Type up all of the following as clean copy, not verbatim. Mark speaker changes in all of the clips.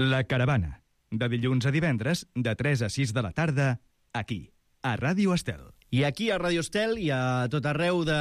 Speaker 1: La Caravana, de dilluns a divendres, de 3 a 6 de la tarda, aquí, a Ràdio Estel.
Speaker 2: I aquí a Ràdio Estel i a tot arreu de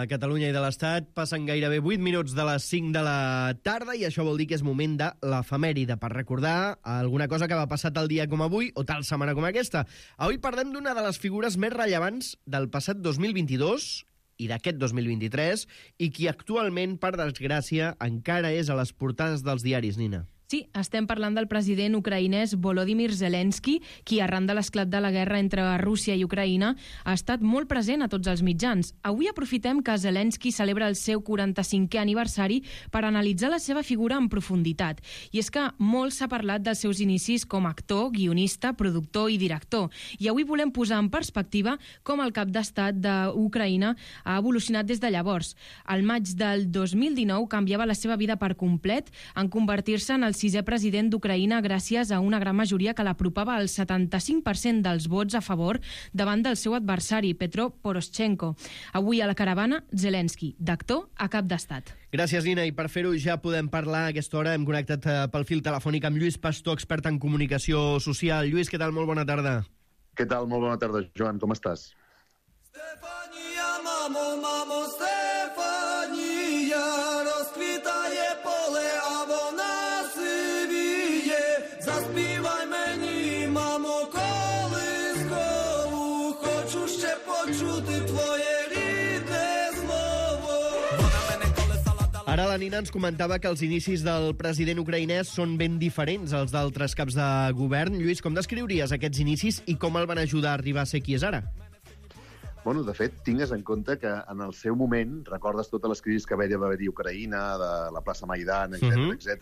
Speaker 2: Catalunya i de l'Estat passen gairebé 8 minuts de les 5 de la tarda i això vol dir que és moment de l'efemèride per recordar alguna cosa que va passar tal dia com avui o tal setmana com aquesta. Avui parlem d'una de les figures més rellevants del passat 2022 i d'aquest 2023 i qui actualment, per desgràcia, encara és a les portades dels diaris, Nina.
Speaker 3: Sí, estem parlant del president ucraïnès Volodymyr Zelensky, qui arran de l'esclat de la guerra entre Rússia i Ucraïna ha estat molt present a tots els mitjans. Avui aprofitem que Zelensky celebra el seu 45è aniversari per analitzar la seva figura en profunditat. I és que molt s'ha parlat dels seus inicis com a actor, guionista, productor i director. I avui volem posar en perspectiva com el cap d'estat d'Ucraïna ha evolucionat des de llavors. Al maig del 2019 canviava la seva vida per complet en convertir-se en el 6è president d'Ucraïna gràcies a una gran majoria que l'apropava al 75% dels vots a favor davant del seu adversari, Petro Poroshenko. Avui a la Caravana, Zelensky, d'actor a cap d'estat.
Speaker 2: Gràcies, Nina, i per fer-ho ja podem parlar a aquesta hora. Hem connectat pel fil telefònic amb Lluís Pastor, expert en comunicació social. Lluís, què tal? Molt bona tarda.
Speaker 4: Què tal? Molt bona tarda, Joan. Com estàs?
Speaker 5: Stefania, mamo, Stefania, rozkwitaje pole, a вона сивіє. Заспівай мені, мамо, колискову, хочу ще почути твоє рідне слово.
Speaker 2: Ara la Nina ens comentava que els inicis del president ucraïnès són ben diferents als d'altres caps de govern. Lluís, com descriuries aquests inicis i com el van ajudar a arribar a ser qui és ara?
Speaker 4: Bueno, de fet, tingues en compte que en el seu moment, recordes totes les crisis que va haver-hi a Ucraïna, de la plaça Maidan, etc.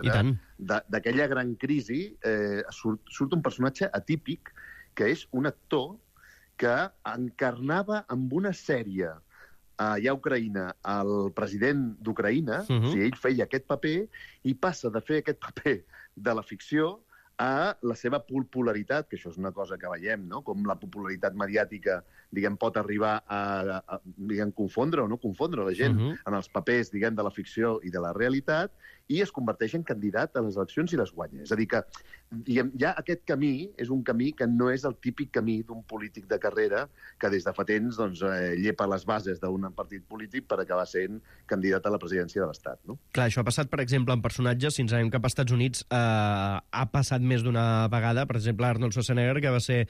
Speaker 4: D'aquella gran crisi surt un personatge atípic que és un actor que encarnava amb una sèrie allà a Ucraïna el president d'Ucraïna, o sigui, ell feia aquest paper i passa de fer aquest paper de la ficció a la seva popularitat, que això és una cosa que veiem, no? Com la popularitat mediàtica, diguem, pot arribar a confondre o no confondre la gent en els papers, diguem, de la ficció i de la realitat, i es converteix en candidat a les eleccions i les guanya. És a dir que, diguem, ja aquest camí és un camí que no és el típic camí d'un polític de carrera que des de fa temps doncs, llepa les bases d'un partit polític per acabar sent candidat a la presidència de l'Estat, no?
Speaker 2: Clar, això ha passat, per exemple, en personatges, si ens anem cap als Estats Units, ha passat més d'una vegada. Per exemple, Arnold Schwarzenegger, que va ser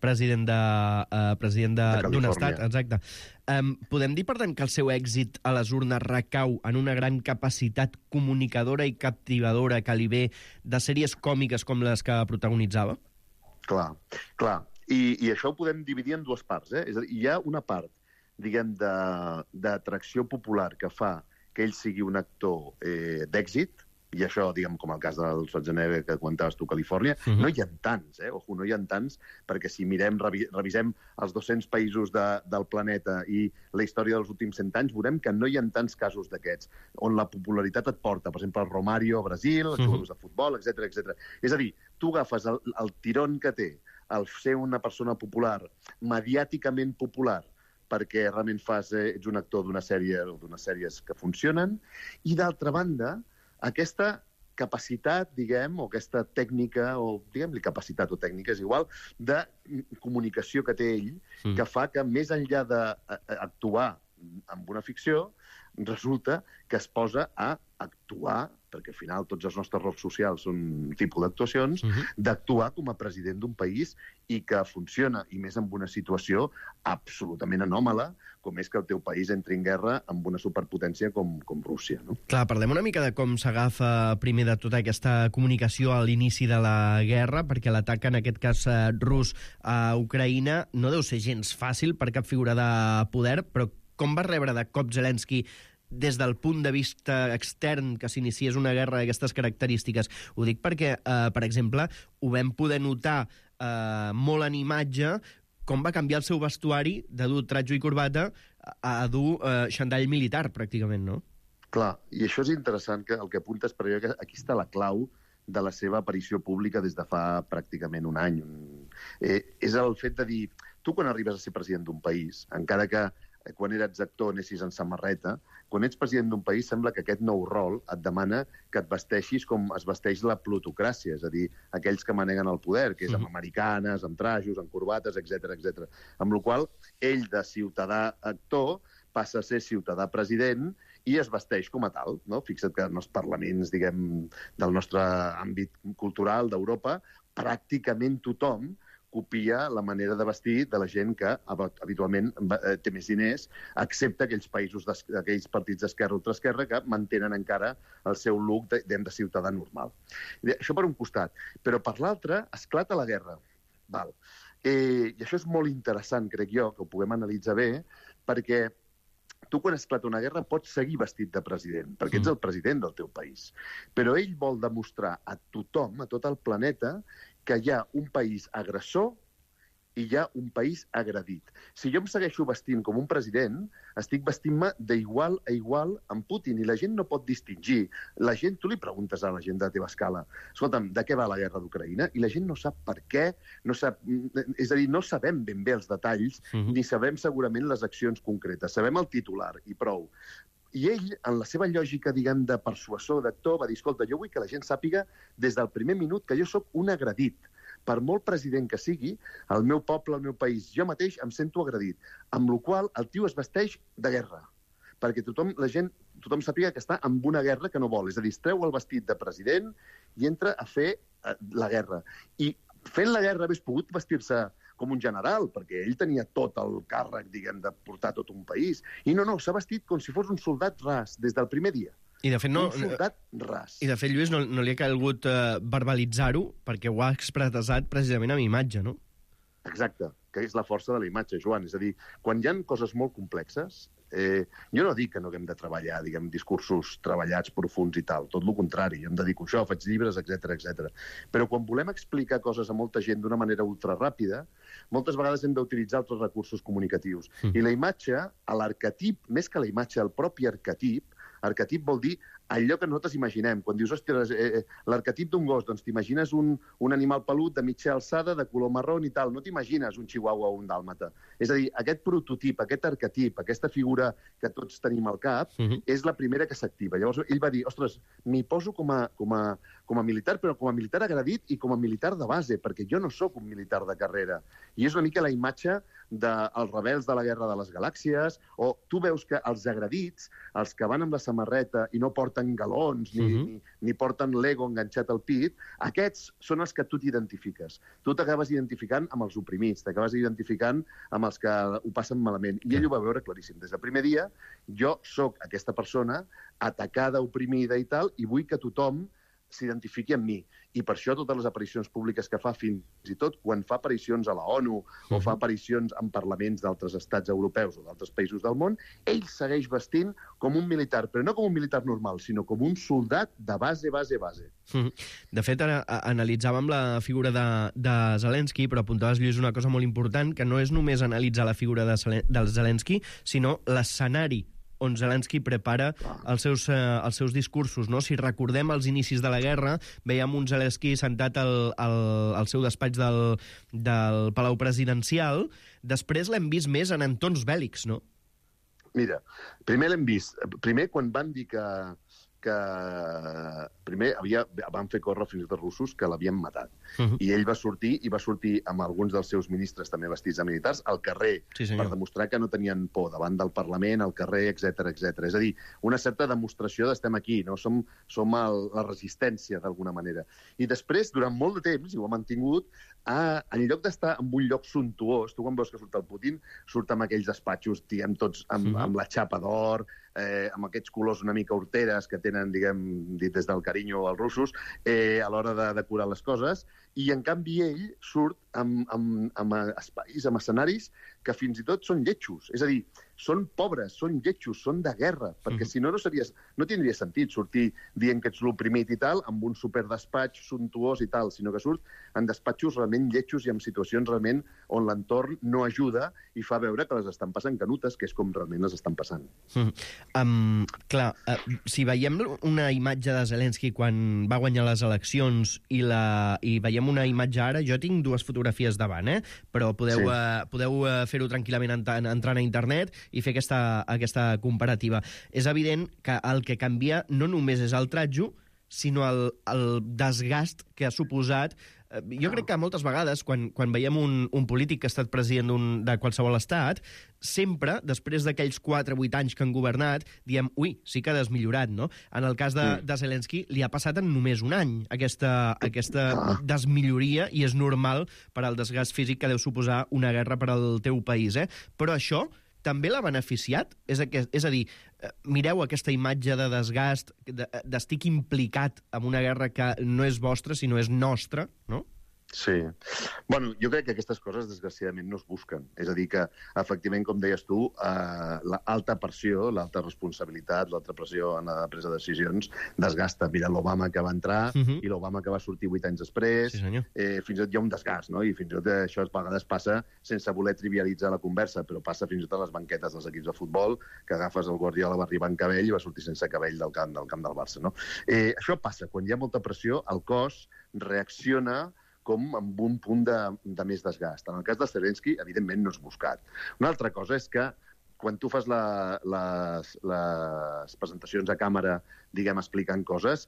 Speaker 2: president d'un estat. Exacte. Podem dir, per tant, que el seu èxit a les urnes recau en una gran capacitat comunicadora i captivadora que li ve de sèries còmiques com les que protagonitzava?
Speaker 4: Clar. I això ho podem dividir en dues parts. És a dir, hi ha una part, diguem, d'atracció popular que fa que ell sigui un actor d'èxit, i això, diguem, com el cas del Schwarzenegger que comentaves tu, Califòrnia, no hi ha tants, no hi ha tants, perquè si mirem, revisem els 200 països del planeta i la història dels últims 100 anys, veurem que no hi ha tants casos d'aquests, on la popularitat et porta, per exemple, el Romario a Brasil, els jugadors de futbol, etc. És a dir, tu agafes el tirón que té el ser una persona popular, mediàticament popular, perquè realment ets un actor d'una sèrie o d'unes sèries que funcionen, i d'altra banda, aquesta capacitat, diguem, o aquesta tècnica, o diguem-li capacitat o tècnica, és igual, de comunicació que té ell, que fa que més enllà d'actuar amb una ficció, resulta que es posa a actuar, perquè al final tots els nostres rols socials són un tipus d'actuacions, d'actuar com a president d'un país i que funciona, i més en una situació absolutament anòmala, com és que el teu país entri en guerra amb una superpotència com Rússia, no?
Speaker 2: Clar, parlem una mica de com s'agafa primer de tota aquesta comunicació a l'inici de la guerra, perquè l'atac, en aquest cas rus, a Ucraïna no deu ser gens fàcil per cap figura de poder, però com va rebre de cop Zelensky des del punt de vista extern que s'iniciés una guerra d'aquestes característiques? Ho dic perquè, per exemple, ho vam poder notar molt en imatge, com va canviar el seu vestuari de dur tratjo i corbata a dur xandall militar, pràcticament, no?
Speaker 4: Clar, i això és interessant, que el que apuntes, perquè que aquí està la clau de la seva aparició pública des de fa pràcticament un any. És el fet de dir, tu quan arribes a ser president d'un país, encara que quan eres actor anessis en samarreta, quan ets president d'un país sembla que aquest nou rol et demana que et vesteixis com es vesteix la plutocràcia, és a dir, aquells que maneguen el poder, que és amb americanes, amb trajos, amb corbates, etc. Amb la qual ell, de ciutadà actor, passa a ser ciutadà president i es vesteix com a tal, no? Fixa't que en els parlaments, diguem, del nostre àmbit cultural d'Europa, pràcticament tothom copia la manera de vestir de la gent que habitualment té més diners, excepte aquells partits d'esquerra o ultraesquerra que mantenen encara el seu look de ciutadà normal. Això per un costat. Però per l'altre, esclata la guerra. Val. I això és molt interessant, crec jo, que ho puguem analitzar bé, perquè tu, quan esclata una guerra, pots seguir vestit de president, perquè ets el president del teu país. Però ell vol demostrar a tothom, a tot el planeta, que hi ha un país agressor i hi ha un país agredit. Si jo em segueixo vestint com un president, estic vestint-me d'igual a igual amb Putin, i la gent no pot distingir. La gent, tu li preguntes a la gent de la teva escala, escolta'm, de què va la guerra d'Ucraïna? I la gent no sap per què, no sap, és a dir, no sabem ben bé els detalls, ni sabem segurament les accions concretes. Sabem el titular, i prou. I ell, en la seva lògica, diguem, de persuasor, d'actor, va dir, escolta, jo vull que la gent sàpiga des del primer minut que jo sóc un agredit. Per molt president que sigui, el meu poble, el meu país, jo mateix em sento agredit. Amb la qual el tio es vesteix de guerra, perquè tothom sàpiga que està en una guerra que no vol. És a dir, es treu el vestit de president i entra a fer la guerra. I fent la guerra hauria pogut vestir-se com un general, perquè ell tenia tot el càrrec, diguem, de portar tot un país. I no, s'ha vestit com si fos un soldat ras, des del primer dia.
Speaker 2: I de fet,
Speaker 4: un soldat ras.
Speaker 2: I de fet, Lluís, no li ha calgut verbalitzar-ho perquè ho ha expressat precisament amb imatge, no?
Speaker 4: Exacte, que és la força de la imatge, Joan. És a dir, quan hi ha coses molt complexes, jo no dic que no haguem de treballar, diguem, discursos treballats, profuns i tal, tot el contrari, jo em dedico a això, faig llibres, etc. Però quan volem explicar coses a molta gent d'una manera ultraràpida, moltes vegades hem d'utilitzar altres recursos comunicatius. I la imatge, l'arquetip, més que la imatge, el propi arquetip vol dir allò que nosaltres imaginem. Quan dius, ostres, l'arquetip d'un gos, doncs t'imagines un animal pelut de mitja alçada, de color marró i tal. No t'imagines un chihuahua o un dàlmata. És a dir, aquest prototip, aquest arquetip, aquesta figura que tots tenim al cap, és la primera que s'activa. Llavors ell va dir, ostres, m'hi poso com a militar, però com a militar agredit i com a militar de base, perquè jo no sóc un militar de carrera. I és una mica la imatge dels rebels de la Guerra de les Galàxies, o tu veus que els agredits, els que van amb la samarreta i no porten galons ni porten l'ego enganxat al pit, aquests són els que tu t'identifiques. Tu t'acabes identificant amb els oprimits, t'acabes identificant amb els que ho passen malament. I ell ho va veure claríssim. Des del primer dia, jo sóc aquesta persona atacada, oprimida i tal, i vull que tothom s'identifiqui amb mi. I per això totes les aparicions públiques que fa, fins i tot quan fa aparicions a la ONU o fa aparicions en parlaments d'altres estats europeus o d'altres països del món, ell segueix vestint com un militar, però no com un militar normal, sinó com un soldat de base.
Speaker 2: De fet, ara analitzàvem la figura de Zelensky, però apuntaves, Lluís, una cosa molt important, que no és només analitzar la figura del Zelensky, sinó l'escenari on Zelensky prepara els seus discursos, no? Si recordem els inicis de la guerra, veiem un Zelensky sentat al seu despatx del Palau Presidencial. Després l'hem vist més en entorns bèl·lics, no?
Speaker 4: Mira, primer l'hem vist. Primer, quan van dir que primer van fer córrer fins i tot russos que l'havien matat. I ell va sortir amb alguns dels seus ministres també vestits de militars al carrer, per demostrar que no tenien por davant del Parlament, al carrer, etc. És a dir, una certa demostració d'estem aquí, no? Som la resistència d'alguna manera. I després, durant molt de temps, i ho ha mantingut, en lloc d'estar en un lloc suntuós, tu quan veus que surt el Putin, surt amb aquells despatxos, diguem, tots amb la xapa d'or, amb aquests colors una mica horteres que tenen, diguem, dit des del carinyo als russos, a l'hora de decorar les coses, i en canvi ell surt amb espais, amb escenaris que fins i tot són lletjos. És a dir, són pobres, són lletjos, són de guerra, perquè si no, no tindria sentit sortir dient que ets l'oprimit i tal, amb un superdespatx suntuós i tal, sinó que surt en despatxos realment lletjos i en situacions realment on l'entorn no ajuda i fa veure que les estan passant canutes, que és com realment les estan passant.
Speaker 2: Clar, si veiem una imatge de Zelensky quan va guanyar les eleccions i veiem una imatge ara, jo tinc dues fotografies fotografies davant, però podeu fer-ho tranquil·lament entrant a internet i fer aquesta comparativa. És evident que el que canvia no només és el tratjo, sinó el desgast que ha suposat. Jo crec que moltes vegades, quan veiem un polític que ha estat president de qualsevol estat, sempre, després d'aquells 4 o 8 anys que han governat, diem, ui, sí que ha desmillorat, no? En el cas de Zelensky, li ha passat en només un any aquesta desmilloria, i és normal per al desgast físic que deu suposar una guerra per al teu país, Però això també l'ha beneficiat? És a dir, mireu aquesta imatge de desgast, d'estic implicat en una guerra que no és vostra, sinó és nostra, no?
Speaker 4: Sí. Bueno, jo crec que aquestes coses, desgraciadament, no es busquen. És a dir, que, efectivament, com deies tu, l'alta pressió, l'alta responsabilitat, l'alta pressió en la presa de decisions desgasta. Mira l'Obama que va entrar i l'Obama que va sortir 8 anys després.
Speaker 2: Sí, senyor.
Speaker 4: Fins i tot hi ha un desgast, no? I fins i tot això a vegades passa sense voler trivialitzar la conversa, però passa fins i tot a les banquetes dels equips de futbol, que agafes el Guardiola, va arribar en cabell i va sortir sense cabell del camp del Barça, no? Això passa. Quan hi ha molta pressió, el cos reacciona com amb un punt de més desgast. En el cas de Zelensky, evidentment, no és buscat. Una altra cosa és que quan tu fas les presentacions a càmera, diguem, explicant coses,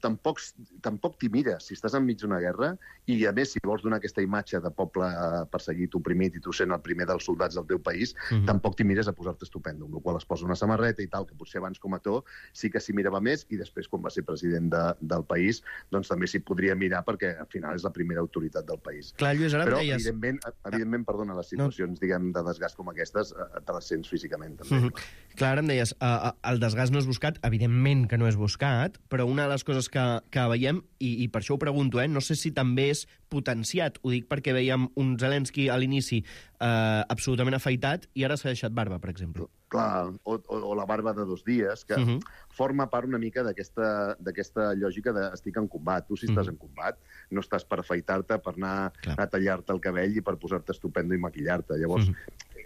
Speaker 4: tampoc t'hi mires. Si estàs enmig d'una guerra, i a més, si vols donar aquesta imatge de poble perseguit, oprimit, i tu sent el primer dels soldats del teu país, tampoc t'hi mires a posar-te estupendo, amb la qual es posa una samarreta i tal, que potser abans com a actor sí que s'hi mirava més, i després, quan va ser president del país, doncs també s'hi podria mirar, perquè al final és la primera autoritat del país.
Speaker 2: Clar, Lluís, ara
Speaker 4: però,
Speaker 2: deies...
Speaker 4: evidentment, perdona, les situacions, diguem, de desgast com aquestes, te les sents físicament, també.
Speaker 2: Clar, ara em deies, el desgast no és buscat, evidentment que no és buscat, però una de les coses que veiem, i per això ho pregunto, no sé si també és potenciat, ho dic perquè veiem un Zelensky a l'inici absolutament afaitat i ara s'ha deixat barba, per exemple.
Speaker 4: Clar, o la barba de 2 dies, que forma part una mica d'aquesta lògica de estic en combat. Tu, si estàs en combat, no estàs per afaitar-te, per anar a tallar-te el cabell i per posar-te estupendo i maquillar-te. Llavors,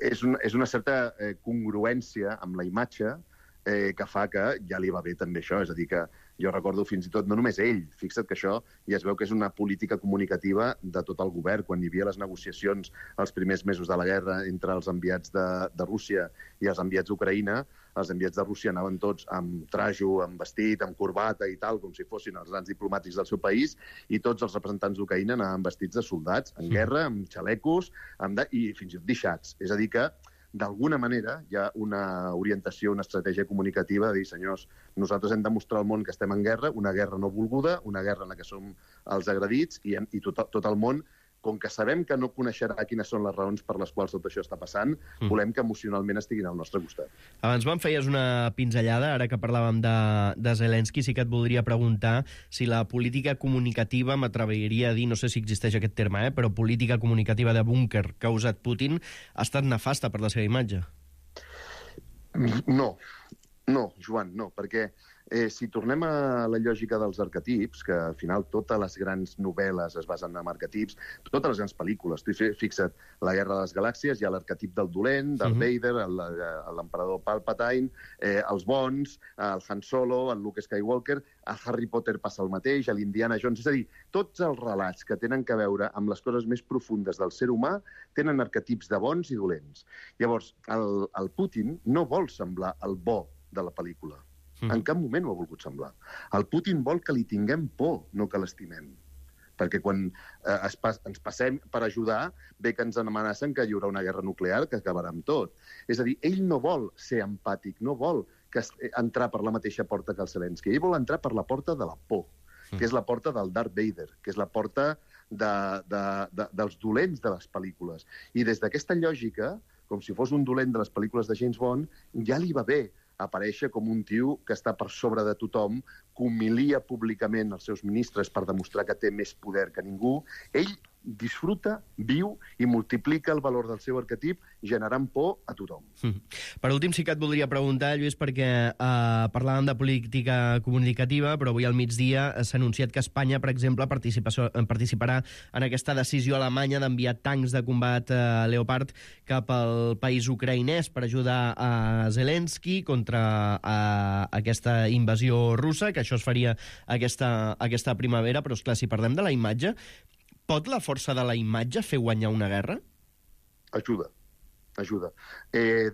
Speaker 4: és una certa congruència amb la imatge que fa que ja li va bé també això. És a dir, que jo recordo fins i tot, no només ell, fixa't que això ja es veu que és una política comunicativa de tot el govern. Quan hi havia les negociacions els primers mesos de la guerra entre els enviats de Rússia i els enviats d'Ucraïna, els enviats de Rússia anaven tots amb trajo, amb vestit, amb corbata i tal, com si fossin els grans diplomàtics del seu país, i tots els representants d'Ucraïna anaven vestits de soldats en guerra, amb xalecos, i fins i tot deixats. És a dir que d'alguna manera hi ha una orientació, una estratègia comunicativa de dir, senyors, nosaltres hem de mostrar al món que estem en guerra, una guerra no volguda, una guerra en la que som els agredits, i tot el món, com que sabem que no coneixerà quines són les raons per les quals tot això està passant, volem que emocionalment estiguin al nostre costat.
Speaker 2: Abans me'n feies una pinzellada, ara que parlàvem de Zelensky, sí que et voldria preguntar si la política comunicativa, m'atreviria a dir, no sé si existeix aquest terme, però política comunicativa de búnquer que ha usat Putin ha estat nefasta per la seva imatge.
Speaker 4: No, Joan, no, perquè si tornem a la lògica dels arquetips, que al final totes les grans novel·les es basen en arquetips, totes les grans pel·lícules, tu fixa't, La guerra de les galàxies, hi ha l'arquetip del dolent, del Vader, l'emperador Palpatine, els bons, el Han Solo, el Luke Skywalker, a Harry Potter passa el mateix, a l'Indiana Jones, és a dir, tots els relats que tenen a veure amb les coses més profundes del ser humà tenen arquetips de bons i dolents. Llavors, el Putin no vol semblar el bo de la pel·lícula. En cap moment ho ha volgut semblar. El Putin vol que li tinguem por, no que l'estimem. Perquè quan ens passem per ajudar, ve que ens amenacen que hi haurà una guerra nuclear que acabarà amb tot. És a dir, ell no vol ser empàtic, no vol entrar per la mateixa porta que el Zelensky. Ell vol entrar per la porta de la por, que és la porta del Darth Vader, que és la porta dels dolents de les pel·lícules. I des d'aquesta lògica, com si fos un dolent de les pel·lícules de James Bond, ja li va bé aparèixer com un tio que està per sobre de tothom, que humilia públicament els seus ministres per demostrar que té més poder que ningú. Ell disfruta, viu i multiplica el valor del seu arquetip generant por a tothom.
Speaker 2: Per últim, sí que et voldria preguntar, Lluís, perquè parlàvem de política comunicativa, però avui al migdia s'ha anunciat que Espanya, per exemple, participarà en aquesta decisió alemanya d'enviar tancs de combat Leopard cap al país ucraïnès per ajudar a Zelensky contra aquesta invasió russa, que això es faria aquesta primavera, però, esclar, si parlem de la imatge, Pot la força de la imatge fer guanyar una guerra?
Speaker 4: Ajuda.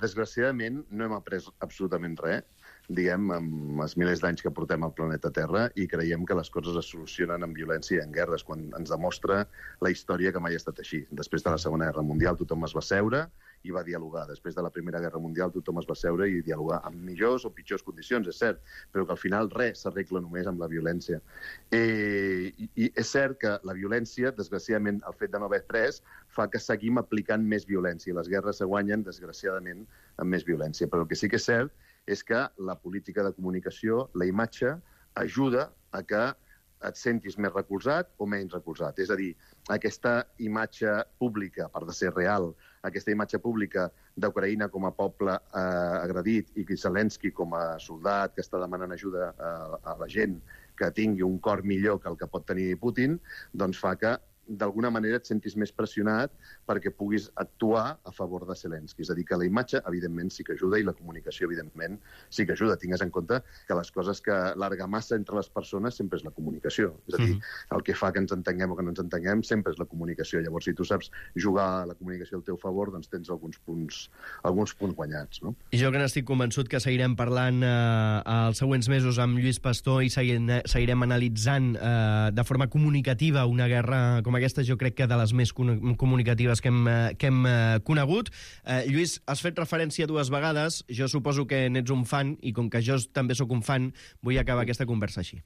Speaker 4: Desgraciadament, no hem après absolutament res, diguem, amb els milers d'anys que portem al planeta Terra, i creiem que les coses es solucionen amb violència i en guerres, quan ens demostra la història que mai ha estat així. Després de la Segona Guerra Mundial tothom es va seure i va dialogar. Després de la Primera Guerra Mundial tothom es va seure i dialogar amb millors o pitjors condicions, és cert, però que al final res s'arregla només amb la violència. I és cert que la violència, desgraciadament, el fet de no haver pres, fa que seguim aplicant més violència. Les guerres se guanyen, desgraciadament, amb més violència. Però el que sí que és cert és que la política de comunicació, la imatge, ajuda a que et sentis més recolzat o menys recolzat. És a dir, aquesta imatge pública, a part de ser real, aquesta imatge pública d'Ucraïna com a poble agredit i Zelensky com a soldat que està demanant ajuda a la gent que tingui un cor millor que el que pot tenir Putin, doncs fa que d'alguna manera et sentis més pressionat perquè puguis actuar a favor de Zelensky. És a dir, que la imatge, evidentment, sí que ajuda i la comunicació, evidentment, sí que ajuda. Tingues en compte que les coses que l'argamassa entre les persones sempre és la comunicació. És a dir, el que fa que ens entenguem o que no ens entenguem sempre és la comunicació. Llavors, si tu saps jugar a la comunicació al teu favor, doncs tens alguns punts guanyats, no?
Speaker 2: I jo que n'estic convençut que seguirem parlant els següents mesos amb Lluís Pastor i seguirem analitzant de forma comunicativa una guerra com aquesta, jo crec que de les més comunicatives que hem conegut. Lluís, has fet referència 2 vegades, jo suposo que n'ets un fan, i com que jo també sóc un fan, vull acabar aquesta conversa així.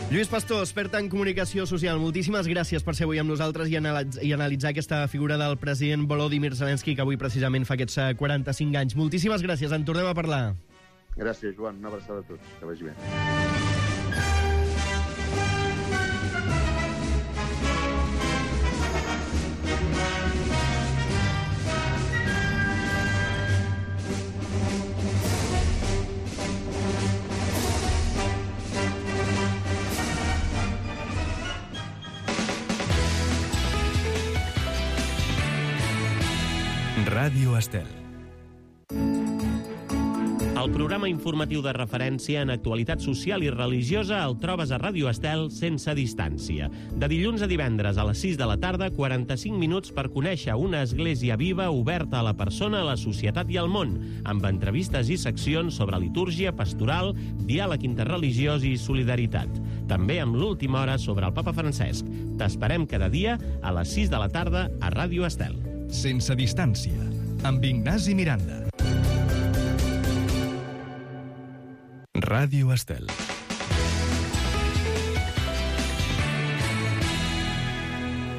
Speaker 2: Lluís Pastor, expert en comunicació social, moltíssimes gràcies per ser avui amb nosaltres i analitzar aquesta figura del president Volodymyr Zelensky, que avui precisament fa aquests 45 anys. Moltíssimes gràcies, en tornem a parlar.
Speaker 4: Gràcies, Joan. Una abraçada a tots. Que vagi bé.
Speaker 1: Ràdio Estel.
Speaker 6: El programa informatiu de referència en actualitat social i religiosa el trobes a Ràdio Estel sense distància. De dilluns a divendres a les 6 de la tarda, 45 minuts per conèixer una església viva oberta a la persona, a la societat i al món, amb entrevistes i seccions sobre litúrgia, pastoral, diàleg interreligiós i solidaritat. També amb l'última hora sobre el Papa Francesc. T'esperem cada dia a les 6 de la tarda a Ràdio Estel.
Speaker 1: Sense distància, amb Ignasi Miranda. Ràdio Estel.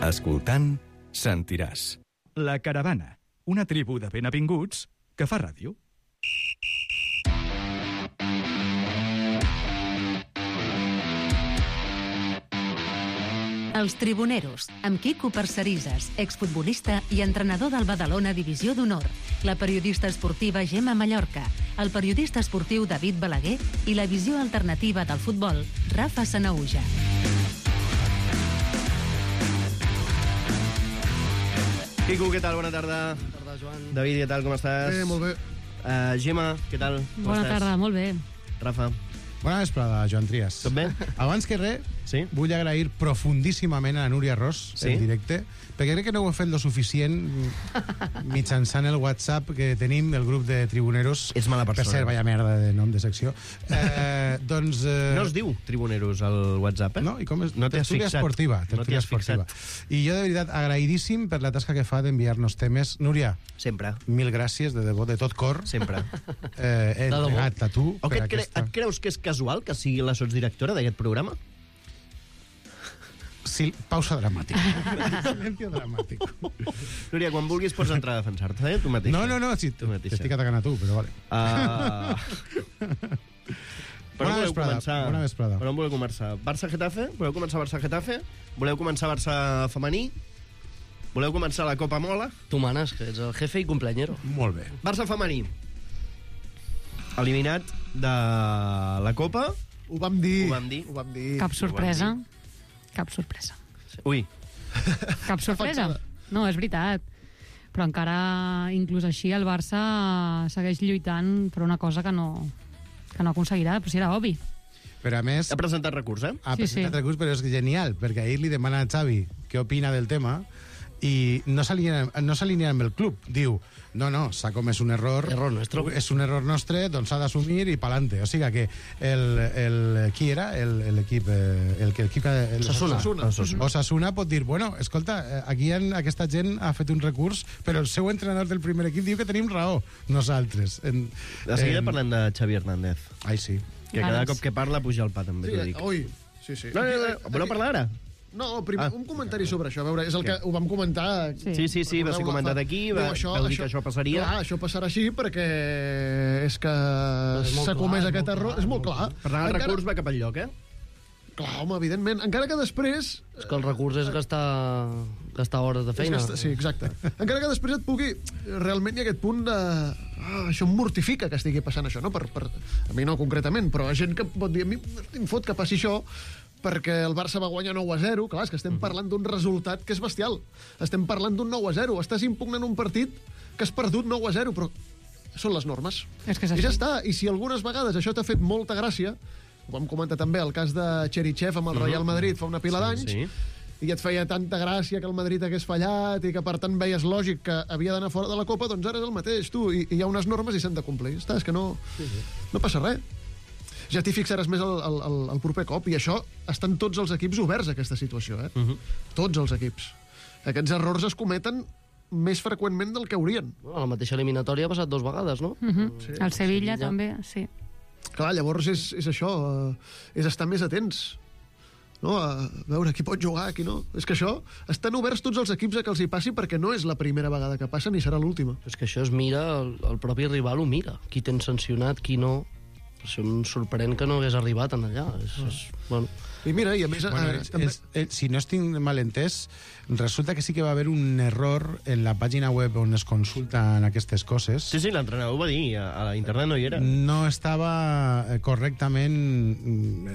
Speaker 1: Escoltant, sentiràs. La Caravana, una tribu de benavinguts que fa ràdio.
Speaker 7: Els Tribuneros, amb Quico Parcerisas, exfutbolista i entrenador del Badalona Divisió d'Honor, la periodista esportiva Gemma Mallorca, el periodista esportiu David Balaguer i la visió alternativa del futbol, Rafa Sanaúja.
Speaker 2: Quico, què tal? Bona tarda.
Speaker 8: Bona tarda, Joan.
Speaker 2: David, què tal? Com estàs?
Speaker 8: Bé, molt bé.
Speaker 2: Gemma, què tal? Com
Speaker 3: Bona
Speaker 2: estàs?
Speaker 3: tarda, molt bé.
Speaker 2: Rafa,
Speaker 8: Bona vesprada, Joan Trias.
Speaker 2: tot bé?
Speaker 8: Abans que res,
Speaker 2: Sí?
Speaker 8: vull agrair profundíssimament a la Núria Ros,
Speaker 2: Sí?
Speaker 8: en directe, perquè crec que no ho he fet lo suficient mitjançant el WhatsApp que tenim, el grup de tribuneros.
Speaker 2: Ets mala persona.
Speaker 8: Per cert, vaya merda de nom de secció. Doncs...
Speaker 2: No es diu Tribuneros al WhatsApp, eh?
Speaker 8: No, i com és?
Speaker 2: No t'hi has
Speaker 8: Tertúlia
Speaker 2: fixat.
Speaker 8: esportiva.
Speaker 2: No t'hi
Speaker 8: Tertúlia
Speaker 2: has fixat.
Speaker 8: esportiva. I jo, de veritat, agraïdíssim per la tasca que fa d'enviar-nos temes. Núria,
Speaker 2: Sempre,
Speaker 8: mil gràcies, de debò, de tot cor.
Speaker 2: sempre.
Speaker 8: He
Speaker 2: debò.
Speaker 8: entregat a tu
Speaker 2: O
Speaker 8: per
Speaker 2: que et creus que és casual que sigui la sotsdirectora d'aquest programa?
Speaker 8: Sí, pausa dramàtica. Silencio dramàtic.
Speaker 2: Núria, quan vulguis pots entrar a defensar-te, tu mateixa.
Speaker 8: No, sí,
Speaker 2: Tu mateixa.
Speaker 8: t'estic atacant a tu, però vale.
Speaker 2: Per on voleu començar?
Speaker 8: Bona vesprada.
Speaker 2: Per on voleu començar? Barça-Getafe? Voleu començar Barça-Getafe? Voleu començar Barça femení? Voleu començar la Copa Mola?
Speaker 9: Tu manes, que ets el jefe i cumpleañero.
Speaker 8: Molt bé.
Speaker 2: Barça femení. Eliminat de la Copa.
Speaker 8: Ho vam dir.
Speaker 2: Ho vam dir.
Speaker 3: Cap sorpresa. Cap sorpresa.
Speaker 2: Ui.
Speaker 3: Cap sorpresa.
Speaker 10: No, és veritat. Però encara, inclús així, el Barça segueix lluitant per una cosa que no aconseguirà, però si era obvi.
Speaker 8: Però a més...
Speaker 2: Ha presentat recurs, eh?
Speaker 8: Ha presentat recurs, però és genial, perquè ahir li demana a Xavi què opina del tema i no s'alinea amb el club. Diu, no, s'ha comès un error.
Speaker 9: Error nostre.
Speaker 8: És un error nostre, doncs s'ha d'assumir i pa'lante. O sigui que qui era? L'equip... Osasuna pot dir, bueno, escolta, aquí aquesta gent ha fet un recurs, però el seu entrenador del primer equip diu que tenim raó, nosaltres.
Speaker 2: De seguida parlem de Xavi Hernández.
Speaker 8: Ai, sí.
Speaker 2: Que cada cop que parla puja el pa, també, t'ho dic.
Speaker 11: Ui, sí.
Speaker 2: No, voleu parlar ara?
Speaker 11: No, primer, un comentari sobre això. A veure, és el que ho vam comentar...
Speaker 2: Sí, va ser comentat aquí, vau dir que això passaria.
Speaker 11: Clar, això passarà així perquè és que s'ha comès aquest error. És molt clar.
Speaker 2: Per tant, el recurs va cap al lloc, eh?
Speaker 11: Clar, home, evidentment. Encara que després...
Speaker 9: És que el recurs és gastar hores de feina.
Speaker 11: Sí, exacte. Encara que després et pugui... Realment hi ha aquest punt de... això em mortifica que estigui passant això, no? A mi no concretament, però hi ha gent que pot dir a mi em fot que passi això perquè el Barça va guanyar 9-0. Clar, és que estem parlant d'un resultat que és bestial. Estem parlant d'un 9-0. Estàs impugnant un partit que has perdut 9-0, però són les normes.
Speaker 10: És que és
Speaker 11: I ja
Speaker 10: així.
Speaker 11: està. I si algunes vegades això t'ha fet molta gràcia, ho vam comentar també el cas de Cherichev amb el Real Madrid fa una pila d'anys, i et feia tanta gràcia que el Madrid hagués fallat i que per tant veies lògic que havia d'anar fora de la Copa, doncs ara és el mateix, tu. I hi ha unes normes i s'han de complir. Està, és que no passa res. Ja t'hi fixaràs més el proper cop, i això estan tots els equips oberts a aquesta situació, eh? Tots els equips. Aquests errors es cometen més freqüentment del que haurien.
Speaker 9: La mateixa eliminatòria ha passat 2 vegades, no?
Speaker 10: Sí. El Sevilla també, sí.
Speaker 11: Clar, llavors és això, és estar més atents, no? A veure qui pot jugar, qui no. És que això, estan oberts tots els equips a que els hi passi perquè no és la primera vegada que passa ni serà l'última.
Speaker 9: És que això es mira, el propi rival ho mira. Qui tens sancionat, qui no. Això em sorprèn que no hagués arribat en allà. Bueno.
Speaker 11: I mira, i a més...
Speaker 8: si no estic mal entès, resulta que sí que va haver un error en la pàgina web on es consulten aquestes coses.
Speaker 2: Sí, l'entrenador ho va dir, a internet no hi era.
Speaker 8: No estava correctament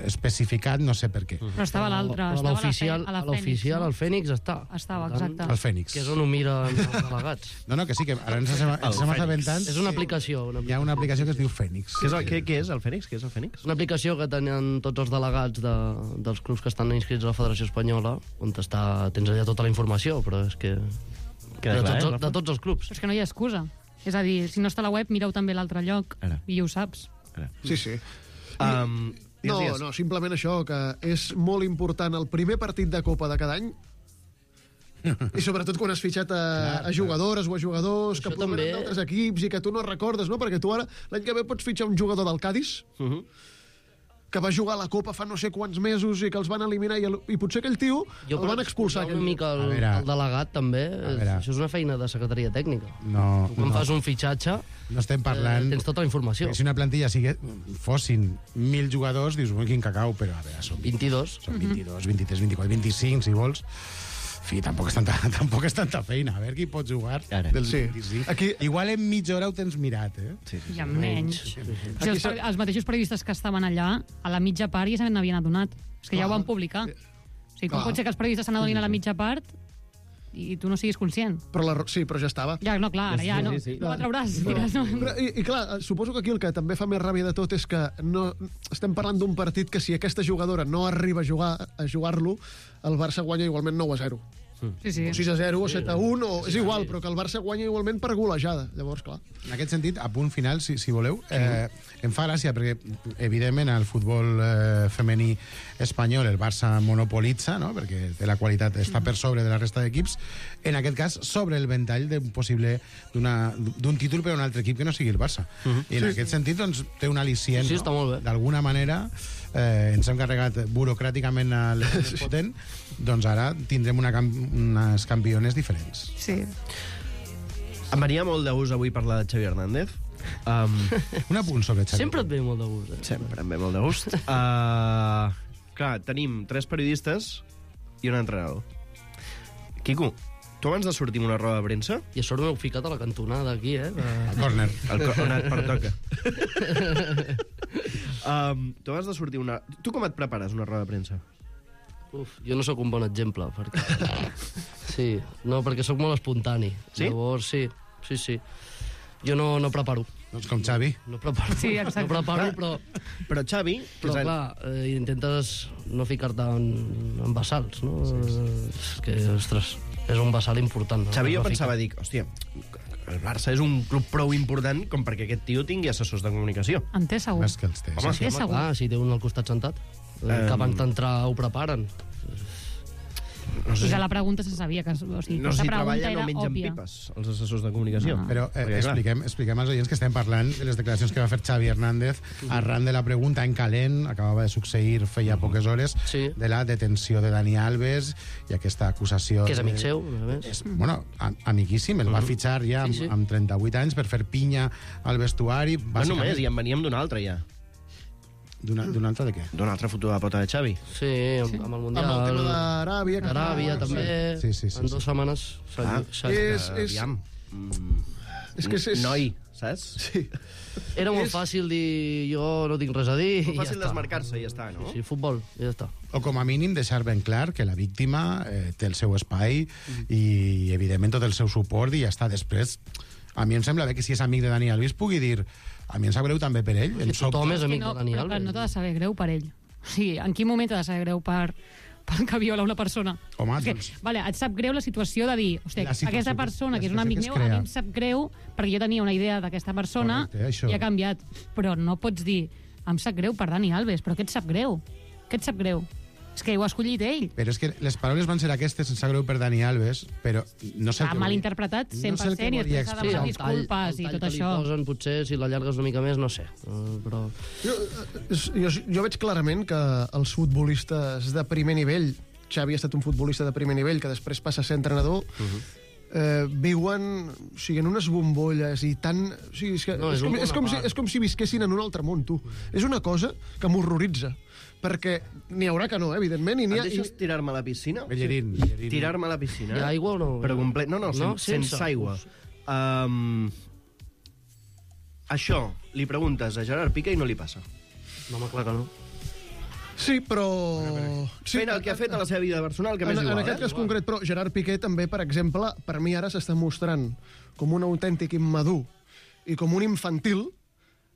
Speaker 8: especificat, no sé per què.
Speaker 10: Però estava l'altre, estava a
Speaker 9: l'oficial, el Fènix està.
Speaker 10: Estava, exacte.
Speaker 8: El Fènix.
Speaker 9: Que és on ho miren els delegats.
Speaker 8: No, que sí, que ara ens estem assabentant.
Speaker 9: És una aplicació.
Speaker 8: Hi ha una aplicació que es diu Fènix.
Speaker 2: Què és el Fènix? Què és el Fènix?
Speaker 9: Una aplicació que tenen tots els delegats dels clubs que estan inscrits a la Federació Espanyola, on tens allà tota la informació, però és que... De tots els clubs.
Speaker 10: Però és que no hi ha excusa. És a dir, si no està a la web, mireu també l'altre lloc, i ho saps.
Speaker 11: Sí. No, simplement això, que és molt important el primer partit de Copa de cada any, i sobretot quan has fitxat a jugadores o a jugadors que provenen d'altres equips i que tu no recordes, no? Perquè tu ara, l'any que ve, pots fitxar un jugador del Cádiz que va jugar a la Copa fa no sé quants mesos i que els van eliminar i potser aquell tio el van expulsar.
Speaker 9: Una mica el delegat també, això és una feina de secretaria tècnica. Tu quan fas un fitxatge
Speaker 8: no estem parlant...
Speaker 9: tens tota la informació.
Speaker 8: Si una plantilla fossin 1.000 jugadors, dius, quin cacau, però a veure, són
Speaker 9: 22.
Speaker 8: Són 22, 23, 24, 25, si vols. Fi, tampoc és tanta feina. A veure qui pot jugar del 25. Aquí... Igual en mitja hora ho tens mirat, eh?
Speaker 10: I amb menys. Els mateixos periodistes que estaven allà, a la mitja part ja se n'havien adonat. És que ja ho van publicar. O sigui, com pot ser que els periodistes se n'adonin a la mitja part i tu no siguis conscient?
Speaker 11: Sí, però ja estava.
Speaker 10: Ja, no, clar, ara ja no. No la trauràs.
Speaker 11: I clar, suposo que aquí el que també fa més ràbia de tot és que estem parlant d'un partit que si aquesta jugadora no arriba a jugar-lo, el Barça guanya igualment 9-0.
Speaker 10: Sí.
Speaker 11: O 6-0 o 7-1, és igual, però que el Barça guanya igualment per golejada. Llavors, clar.
Speaker 8: En aquest sentit, a punt final, si voleu, em fa gràcia, perquè, evidentment, el futbol femení espanyol, el Barça monopolitza, no?, perquè té la qualitat, està per sobre de la resta d'equips, en aquest cas, sobre el ventall d'un títol per a un altre equip que no sigui el Barça. I en aquest sentit, doncs, té un al·licient, d'alguna manera, ens hem carregat burocràticament l'equip potent, doncs ara tindrem unes campiones diferents.
Speaker 10: Sí.
Speaker 2: Em venia molt de gust avui parlar de Xavi Hernández.
Speaker 8: Un apunt sobre Xavi.
Speaker 9: Sempre et ve molt de gust.
Speaker 2: Sempre em ve molt de gust. Clar, tenim 3 periodistes i un entrenador. Quico, tu abans de sortir amb una roda de premsa...
Speaker 9: I a sort m'heu ficat a la cantonada aquí, eh?
Speaker 8: Al córner.
Speaker 2: On et pertoca. Tu abans de sortir Tu com et prepares una roda de premsa?
Speaker 9: Jo no sóc un bon exemple, perquè... Sí, no, perquè sóc molt espontani.
Speaker 2: Sí?
Speaker 9: Llavors, sí. Jo no preparo.
Speaker 8: Doncs com Xavi.
Speaker 9: No preparo,
Speaker 10: Sí, exacte.
Speaker 9: no preparo, però...
Speaker 2: Però Xavi...
Speaker 9: Però, clar, intentes no ficar-te en bassals, no? És que, ostres, és un bassal important. No?
Speaker 2: Xavi, jo pensava, dic, hòstia, el Barça és un club prou important com perquè aquest tio tingui assessors de comunicació.
Speaker 10: En té segur.
Speaker 8: Més que els té.
Speaker 9: Home,
Speaker 10: Sí,
Speaker 9: sí,
Speaker 10: segur.
Speaker 9: clar, si té un al costat sentat. Que abans d'entrar ho preparen.
Speaker 2: No sé
Speaker 10: Ja la pregunta se sabia, que, o sigui,
Speaker 2: no sé
Speaker 10: aquesta
Speaker 2: si
Speaker 10: pregunta
Speaker 2: treballen o
Speaker 10: era
Speaker 2: mengen
Speaker 10: òbvia.
Speaker 2: pipes, els assessors de comunicació.
Speaker 10: No.
Speaker 8: Però expliquem als oients que estem parlant de les declaracions que va fer Xavi Hernández arran de la pregunta en calent, acabava de succeir feia poques hores, de la detenció de Dani Alves i aquesta acusació...
Speaker 9: Que és amic seu, a més.
Speaker 8: És, bueno, amiguíssim, el va fitxar ja amb 38 anys per fer pinya al vestuari.
Speaker 2: No només, i en veníem d'un altre ja.
Speaker 8: D'un altre de què?
Speaker 2: D'una altra foto de pota de Xavi.
Speaker 9: Sí, amb el Mundial.
Speaker 11: Amb el tema d'Aràbia.
Speaker 9: Aràbia, també.
Speaker 8: Sí.
Speaker 9: En 2 setmanes.
Speaker 2: Aviam.
Speaker 11: És que és...
Speaker 2: Noi, saps?
Speaker 11: Sí.
Speaker 9: Era molt fàcil dir jo no tinc res a dir
Speaker 2: Molt
Speaker 9: i
Speaker 2: fàcil
Speaker 9: ja està.
Speaker 2: desmarcar-se i ja està, no?
Speaker 9: Sí, futbol, i ja està.
Speaker 8: O com a mínim deixar ben clar que la víctima té el seu espai i, evidentment, tot el seu suport i ja està. Després, a mi em sembla bé que si és amic de Dani Alves pugui dir a mi em sap greu també per ell.
Speaker 9: Tothom és amic
Speaker 10: no,
Speaker 9: de Dani
Speaker 10: però
Speaker 9: Alves.
Speaker 10: no t'ha de saber greu per ell. O sigui, en quin moment t'ha de saber greu per que viola una persona?
Speaker 8: Home,
Speaker 10: que,
Speaker 8: doncs...
Speaker 10: vale, et sap greu la situació de dir, hosti, aquesta persona, que és un amic meu, a mi em sap greu perquè jo tenia una idea d'aquesta persona i ha canviat. Però no pots dir, em sap greu per Dani Alves, però què et sap greu? Què et sap greu? És que ho ha escollit ell.
Speaker 8: Però és que les paraules van ser aquestes, em sap greu per Dani Alves, però no sé...
Speaker 10: Ha malinterpretat 100% i després ha demanat disculpes i tot això.
Speaker 9: El tall que li posen, potser, si l'allargues una mica més, no sé. Però...
Speaker 11: Jo veig clarament que els futbolistes de primer nivell, Xavi ha estat un futbolista de primer nivell que després passa a ser entrenador, viuen, o sigui, en unes bombolles i tan... O sigui, és com si visquessin en un altre món, tu. És una cosa que m'horroritza, perquè n'hi haurà que no, evidentment.
Speaker 2: Em deixes tirar-me a la piscina?
Speaker 8: Bellerín.
Speaker 2: Tirar-me a la piscina.
Speaker 9: Hi ha aigua o no?
Speaker 2: Però complet... No, sense aigua. Això li preguntes a Gerard Piqué i no li passa.
Speaker 9: No, clar que no.
Speaker 11: Sí, però...
Speaker 2: Fent el que ha fet a la seva vida personal, que més igual.
Speaker 11: En aquest cas concret, però Gerard Piqué també, per exemple, per mi ara s'està mostrant com un autèntic immadur i com un infantil,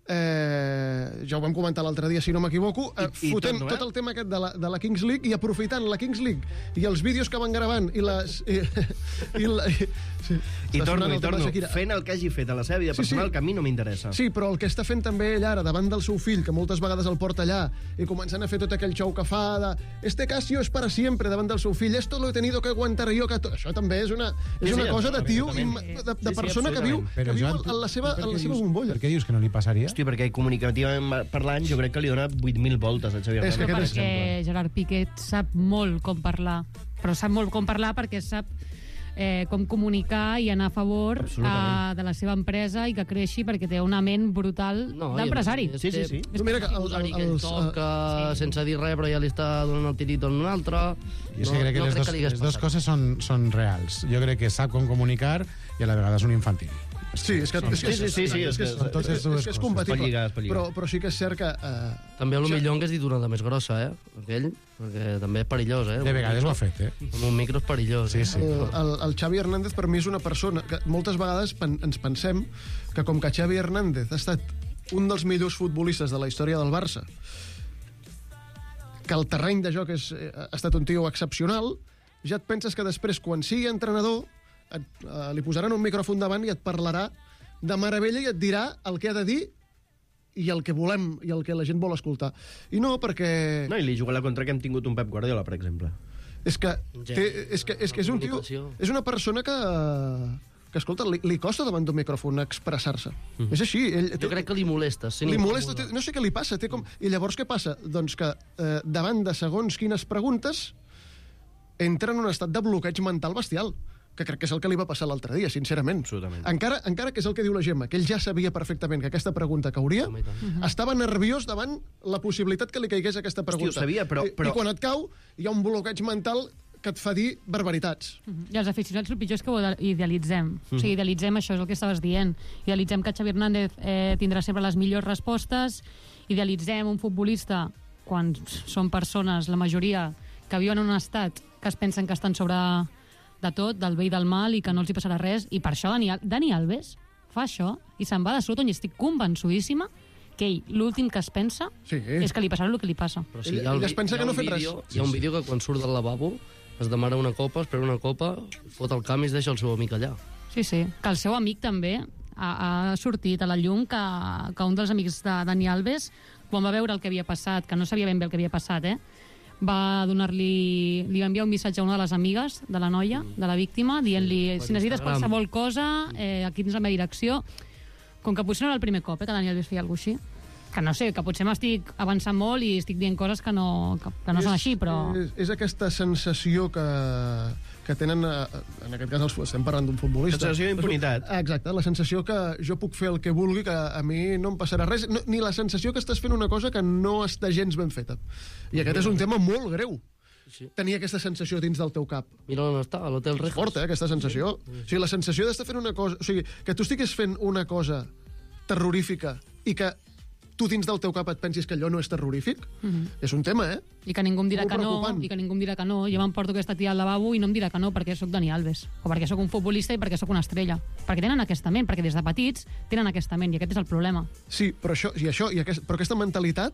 Speaker 11: ja ho vam comentar l'altre dia, si no m'equivoco, fotent tot el tema aquest de la Kings League i aprofitant la Kings League i els vídeos que van gravant i les...
Speaker 2: I torno, fent el que hagi fet a la seva vida personal, que a mi no m'interessa.
Speaker 11: Sí, però el que està fent també ell ara, davant del seu fill, que moltes vegades el porta allà, i començant a fer tot aquell show que fa de este Casio es para siempre, davant del seu fill, esto lo he tenido que aguantar yo, que això també és una cosa de tio, de persona que viu en la seva bombolla.
Speaker 8: Per què dius que no li passaria?
Speaker 2: Hòstia, perquè comunicativament parlant jo crec que li dona 8.000 voltes a Xavi Hernández.
Speaker 10: No, perquè Gerard Piqué sap molt com parlar, però sap molt com parlar perquè sap com comunicar i anar a favor de la seva empresa i que creixi perquè té una ment brutal d'empresari.
Speaker 9: Sí. Mira que el toca sense dir res, però ja li està donant el tirito en un altre.
Speaker 8: Jo crec que les dues coses són reals. Jo crec que sap com comunicar i a la vegada és un infantil.
Speaker 11: Sí, és compatible. Però sí que és cert que...
Speaker 9: També a lo millor hagués dit una de més grossa, aquell, perquè també és perillós,
Speaker 8: De vegades ho ha fet,
Speaker 9: Amb un micro és perillós.
Speaker 8: Sí.
Speaker 11: El Xavi Hernández per mi és una persona que moltes vegades ens pensem que com que Xavi Hernández ha estat un dels millors futbolistes de la història del Barça, que el terreny de joc ha estat un tio excepcional, ja et penses que després, quan sigui entrenador, li posaran un micròfon davant i et parlarà de meravella i et dirà el que ha de dir i el que volem i el que la gent vol escoltar. I no, perquè...
Speaker 2: No, i li juga la contra que hem tingut un Pep Guardiola, per exemple.
Speaker 11: És que és un tio... És una persona que escolta, li costa davant d'un micròfon expressar-se. És així.
Speaker 9: Jo crec que li molesta.
Speaker 11: Li molesta, no sé què li passa. I llavors què passa? Doncs que davant de segons quines preguntes entra en un estat de bloqueig mental bestial, que crec que és el que li va passar l'altre dia, sincerament. Encara que és el que diu la Gemma, que ell ja sabia perfectament que aquesta pregunta cauria, estava nerviós davant la possibilitat que li caigués aquesta pregunta.
Speaker 2: Hosti, ho sabia, però...
Speaker 11: I quan et cau, hi ha un bloqueig mental que et fa dir barbaritats.
Speaker 10: I els aficionats, el pitjor és que ho idealitzem. O sigui, idealitzem això, és el que estaves dient. Idealitzem que Xavi Hernández tindrà sempre les millors respostes, idealitzem un futbolista, quan són persones, la majoria, que viuen en un estat que es pensen que estan sobre de tot, del bé i del mal, i que no els hi passarà res, i per això Dani Alves fa això i se'n va de sota, on estic convençudíssima que ell, l'últim que es pensa és que li passarà el que li passa.
Speaker 11: Però sí, ell es pensa que no ha fet res.
Speaker 9: Hi ha un vídeo que quan surt del lavabo es demana una copa, espera una copa, fot el camp i es deixa el seu amic allà.
Speaker 10: Sí, que el seu amic també ha sortit a la llum que un dels amics de Dani Alves, quan va veure el que havia passat, que no sabia ben bé el que havia passat, va donar-li... Li va enviar un missatge a una de les amigues de la noia, de la víctima, dient-li, si necessites qualsevol cosa, aquí tens la meva direcció. Com que potser no era el primer cop que Dani Alves feia alguna cosa així. Que no sé, que potser m'estic avançant molt i estic dient coses que no són així, però...
Speaker 11: És aquesta sensació que tenen, en aquest cas estem parlant d'un futbolista.
Speaker 2: La sensació d'impunitat.
Speaker 11: Exacte, la sensació que jo puc fer el que vulgui, que a mi no em passarà res, ni la sensació que estàs fent una cosa que no està gens ben feta. I aquest és un tema molt greu. Sí. Tenir aquesta sensació dins del teu cap.
Speaker 9: Mira on està, a l'Hotel Rejas.
Speaker 11: Forta, aquesta sensació. O sigui, la sensació d'estar fent una cosa... O sigui, que tu estiguis fent una cosa terrorífica i que tu dins del teu cap et pensis que allò no és terrorífic, és un tema,
Speaker 10: I que ningú em dirà que no, Jo m'emporto aquesta tia al lavabo i no em dirà que no perquè sóc Dani Alves, o perquè sóc un futbolista i perquè sóc una estrella. Perquè tenen aquesta ment, perquè des de petits tenen aquesta ment, i aquest és el problema.
Speaker 11: Sí, però però aquesta mentalitat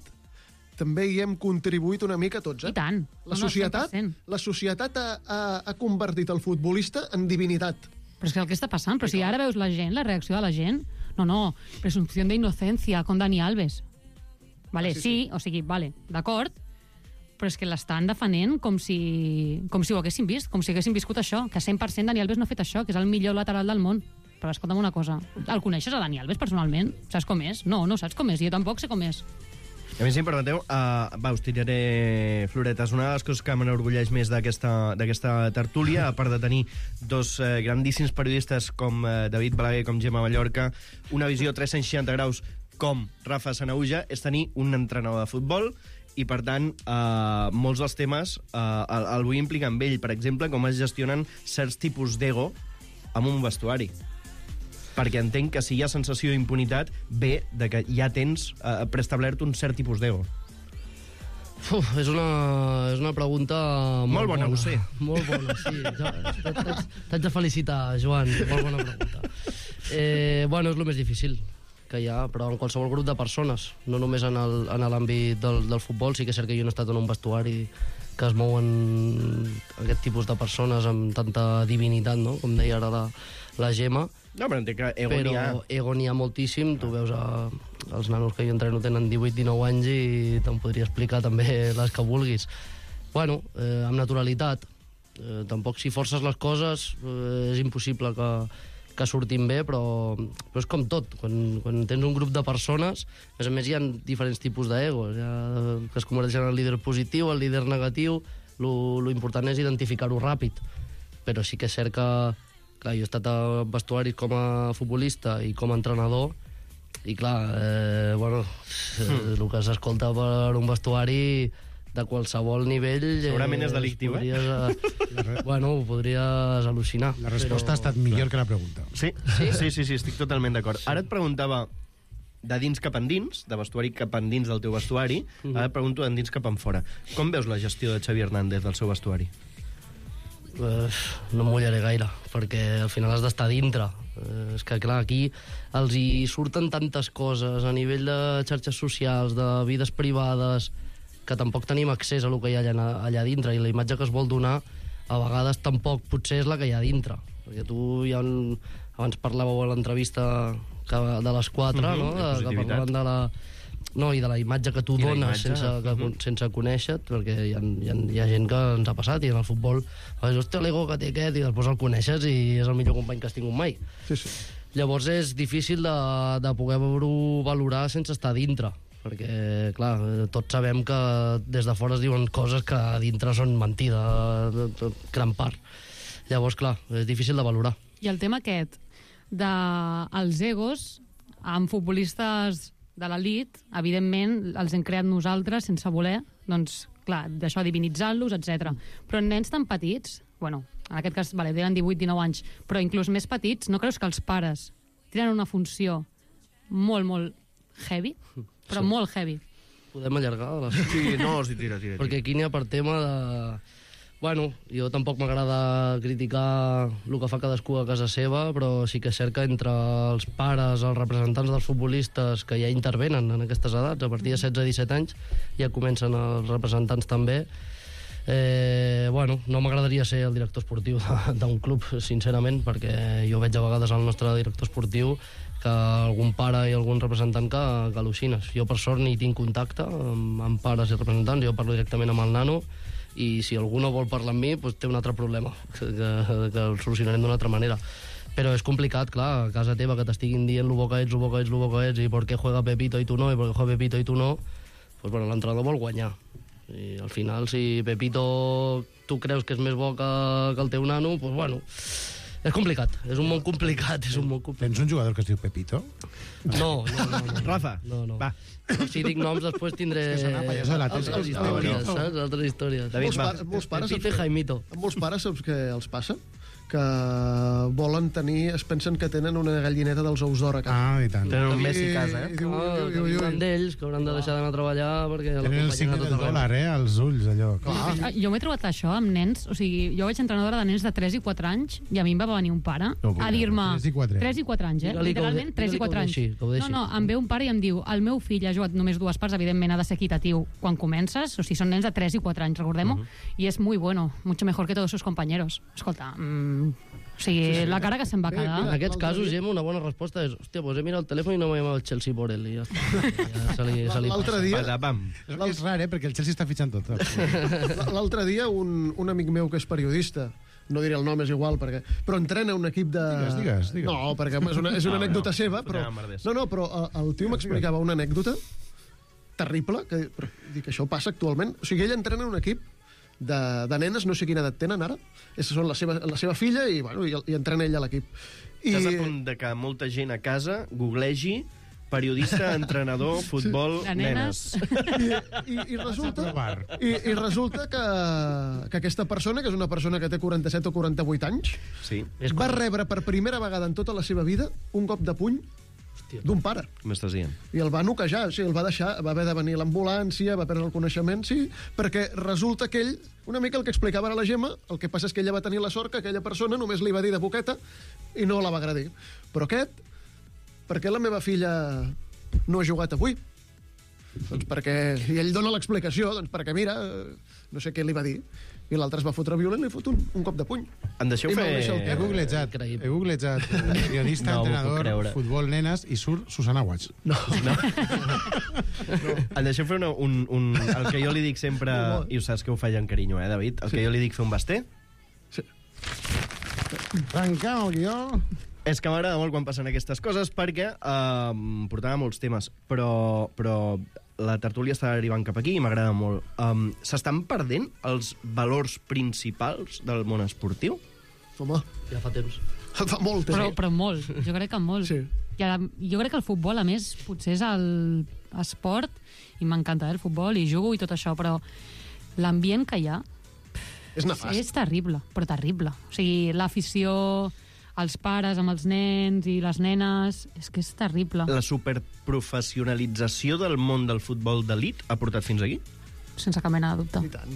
Speaker 11: també hi hem contribuït una mica tots,
Speaker 10: I tant.
Speaker 11: La societat ha convertit el futbolista en divinitat.
Speaker 10: Però és que el que està passant, però si ara veus la gent, la reacció de la gent, no, presumpció d'innocència con Dani Alves. Vale, sí, o sigui, vale, d'acord, però és que l'estan defenent com si ho haguessin vist, com si haguessin viscut això, que 100% Dani Alves no ha fet això, que és el millor lateral del món. Però escolta'm una cosa, el coneixes a Dani Alves personalment? Saps com és? No saps com és, jo tampoc sé com és.
Speaker 2: A mi, si em permeteu, us tiraré floretes. Una de les coses que m'enorgulleix més d'aquesta tertúlia, a part de tenir dos grandíssims periodistes com David Balaguer, com Gemma Mallorca, una visió 360 graus com Rafa Sanahuja, és tenir un entrenador de futbol i, per tant, molts dels temes el vull implicar amb ell. Per exemple, com es gestionen certs tipus d'ego amb un vestuari. Perquè entenc que si hi ha sensació d'impunitat, ve de que ja tens preestablert un cert tipus d'ego.
Speaker 9: És una pregunta molt bona.
Speaker 2: Ho sé.
Speaker 9: Molt bona, sí. T'haig de felicitar, Joan. Molt bona pregunta. És el més difícil que hi ha, però en qualsevol grup de persones, no només en l'àmbit del futbol. Sí que és cert que jo no he estat en un vestuari que es mouen aquest tipus de persones amb tanta divinitat, no? Com deia ara la Gemma.
Speaker 2: No, però entenc que ego n'hi ha.
Speaker 9: Ego n'hi ha moltíssim. Tu veus els nanos que jo entreno tenen 18-19 anys i te'n podria explicar també les que vulguis. Amb naturalitat. Tampoc si forces les coses és impossible que surtin bé, però és com tot. Quan tens un grup de persones, a més hi ha diferents tipus d'egos, que es converteixen en el líder positiu, el líder negatiu. Lo important és identificar-ho ràpid. Però sí que és cert que clar, jo he estat a vestuaris com a futbolista i com a entrenador i clar, el que s'escolta per un vestuari de qualsevol nivell...
Speaker 2: Segurament és delictiu,
Speaker 9: ho podries al·lucinar.
Speaker 8: La resposta ha estat millor que la pregunta.
Speaker 2: Sí, estic totalment d'acord. Ara et preguntava de dins cap endins, de vestuari cap endins del teu vestuari, ara et pregunto d'endins cap enfora. Com veus la gestió de Xavi Hernández del seu vestuari?
Speaker 9: No mullaré gaire, perquè al final has d'estar dintre. És que, clar, aquí els hi surten tantes coses a nivell de xarxes socials, de vides privades, que tampoc tenim accés a lo que hi ha allà dintre, i la imatge que es vol donar a vegades tampoc potser és la que hi ha dintre. Perquè tu abans parlàveu a l'entrevista de les 4, no? Que parlaven de la... No, i de la imatge que tu dones sense conèixer-te, perquè hi ha gent que ens ha passat, i en el futbol hòstia, l'ego que té aquest, i després el coneixes i és el millor company que has tingut mai.
Speaker 11: Sí.
Speaker 9: Llavors és difícil de poder-ho valorar sense estar dintre, perquè, clar, tots sabem que des de fora es diuen coses que a dintre són mentida, gran part. Llavors, clar, és difícil de valorar.
Speaker 10: I el tema aquest dels egos amb futbolistes de l'elit, evidentment, els hem creat nosaltres sense voler, doncs, clar, d'això divinitzant-los, etc. Però en nens tan petits, en aquest cas, tenen 18-19 anys, però inclús més petits, no creus que els pares tenen una funció molt, molt heavy? Però molt heavy.
Speaker 9: Podem allargar?
Speaker 2: Sí, no, sí, tira.
Speaker 9: Perquè aquí n'hi ha per tema de... Bueno, jo tampoc m'agrada criticar el que fa cadascú a casa seva, però sí que és cert que entre els pares, els representants dels futbolistes que ja intervenen en aquestes edats, a partir de 16-17 anys, ja comencen els representants també. Bueno, no m'agradaria ser el director esportiu d'un club, sincerament, perquè jo veig a vegades al nostre director esportiu que algun pare i algun representant que al·lucines. Jo, per sort, ni tinc contacte amb pares i representants, jo parlo directament amb el nano, i si algú no vol parlar amb mi, doncs té un altre problema, que el solucionarem d'una altra manera. Però és complicat, clar, a casa teva, que t'estiguin dient lo bo que ets, i per què juega Pepito i tu no, i per què juega Pepito i tu no, doncs bueno, l'entrenador vol guanyar. I al final, si Pepito tu creus que és més bo que el teu nano, doncs bueno, és complicat, és un món complicat,
Speaker 8: Tens un jugador que es diu Pepito?
Speaker 9: No.
Speaker 2: Rafa,
Speaker 9: no.
Speaker 2: Va.
Speaker 9: Si dic noms, després tindré altres històries.
Speaker 11: David, molts pares,
Speaker 9: Jaimito.
Speaker 11: Molts pares saps què els passa? Que volen tenir, es pensen que tenen una gallineta dels ous d'or a casa.
Speaker 8: I tant.
Speaker 2: Tenen un Messi a casa,
Speaker 9: Diuen d'ells que hauran de deixar d'anar a treballar perquè...
Speaker 8: Tenen el signe del dòlar, als ulls, allò.
Speaker 10: Jo m'he trobat això amb nens, o sigui, jo vaig entrenadora de nens de 3 i 4 anys i a mi em va venir un pare a dir-me... 3 i 4 anys, literalment 3 i 4 anys. No, em ve un pare i em diu el meu fill ha jugat només 2 parts, evidentment ha de ser equitatiu quan comences, o sigui, són nens de 3 i 4 anys, recordem-ho, i és muy bueno, mucho mejor que todos sus compañeros. Escolta, o sigui, la cara que se'n va quedar.
Speaker 9: En aquests casos, Gemma, una bona resposta és hòstia, pues he mirat el telèfon i no m'ha llamat el Chelsea por él, i ja està.
Speaker 11: L'altre dia...
Speaker 8: És rar, perquè el Chelsea està fitxant tot.
Speaker 11: L'altre dia, un amic meu que és periodista, no diré el nom, és igual, però entrena un equip de...
Speaker 8: Digues.
Speaker 11: No, perquè és una anècdota seva, però... No, però el tio m'explicava una anècdota terrible, que dic, això passa actualment. O sigui, ell entrena un equip de nenes, no sé quina edat tenen ara, són la seva filla i entrena ell a l'equip.
Speaker 2: Estàs a punt de que molta gent a casa googlegi periodista, entrenador, futbol, nenes.
Speaker 11: I resulta que aquesta persona, que és una persona que té 47 o 48 anys, va rebre per primera vegada en tota la seva vida un cop de puny d'un pare.
Speaker 2: M'estàs dient?
Speaker 11: I el va noquejar, o sigui, el va deixar, va haver de venir l'ambulància, va perdre el coneixement, sí, perquè resulta que ell, una mica el que explicava ara la Gemma, el que passa és que ella va tenir la sort que aquella persona només li va dir de boqueta i no la va agradir. Però aquest, per què la meva filla no ha jugat avui? Doncs perquè... I ell dona l'explicació, doncs perquè mira, no sé què li va dir, i l'altre es va fotre violent i li fot un cop de puny.
Speaker 2: Em deixeu fer...
Speaker 8: He googlejat periodista, entrenador, futbol, nenes, i surt Susana Watch.
Speaker 2: No. Em deixeu fer el que jo li dic sempre, i ho saps que ho faig amb carinyo, David? El que jo li dic fer un basté?
Speaker 11: Sí.
Speaker 8: Tancant el guió...
Speaker 2: És que m'agrada molt quan passen aquestes coses perquè portava molts temes, però la tertúlia està arribant cap aquí i m'agrada molt. S'estan perdent els valors principals del món esportiu?
Speaker 11: Home,
Speaker 9: ja fa temps.
Speaker 11: Fa molt temps.
Speaker 10: Però molt, jo crec que molt.
Speaker 11: Sí.
Speaker 10: Jo crec que el futbol, a més, potser és l'esport, i m'encanta el futbol, i jugo i tot això, però l'ambient que hi ha
Speaker 11: és nefast.
Speaker 10: És terrible, però terrible. O sigui, l'afició... els pares amb els nens i les nenes, és que és terrible.
Speaker 2: La superprofessionalització del món del futbol d'elit ha portat fins aquí?
Speaker 10: Sense cap mena de dubte.
Speaker 11: I tant.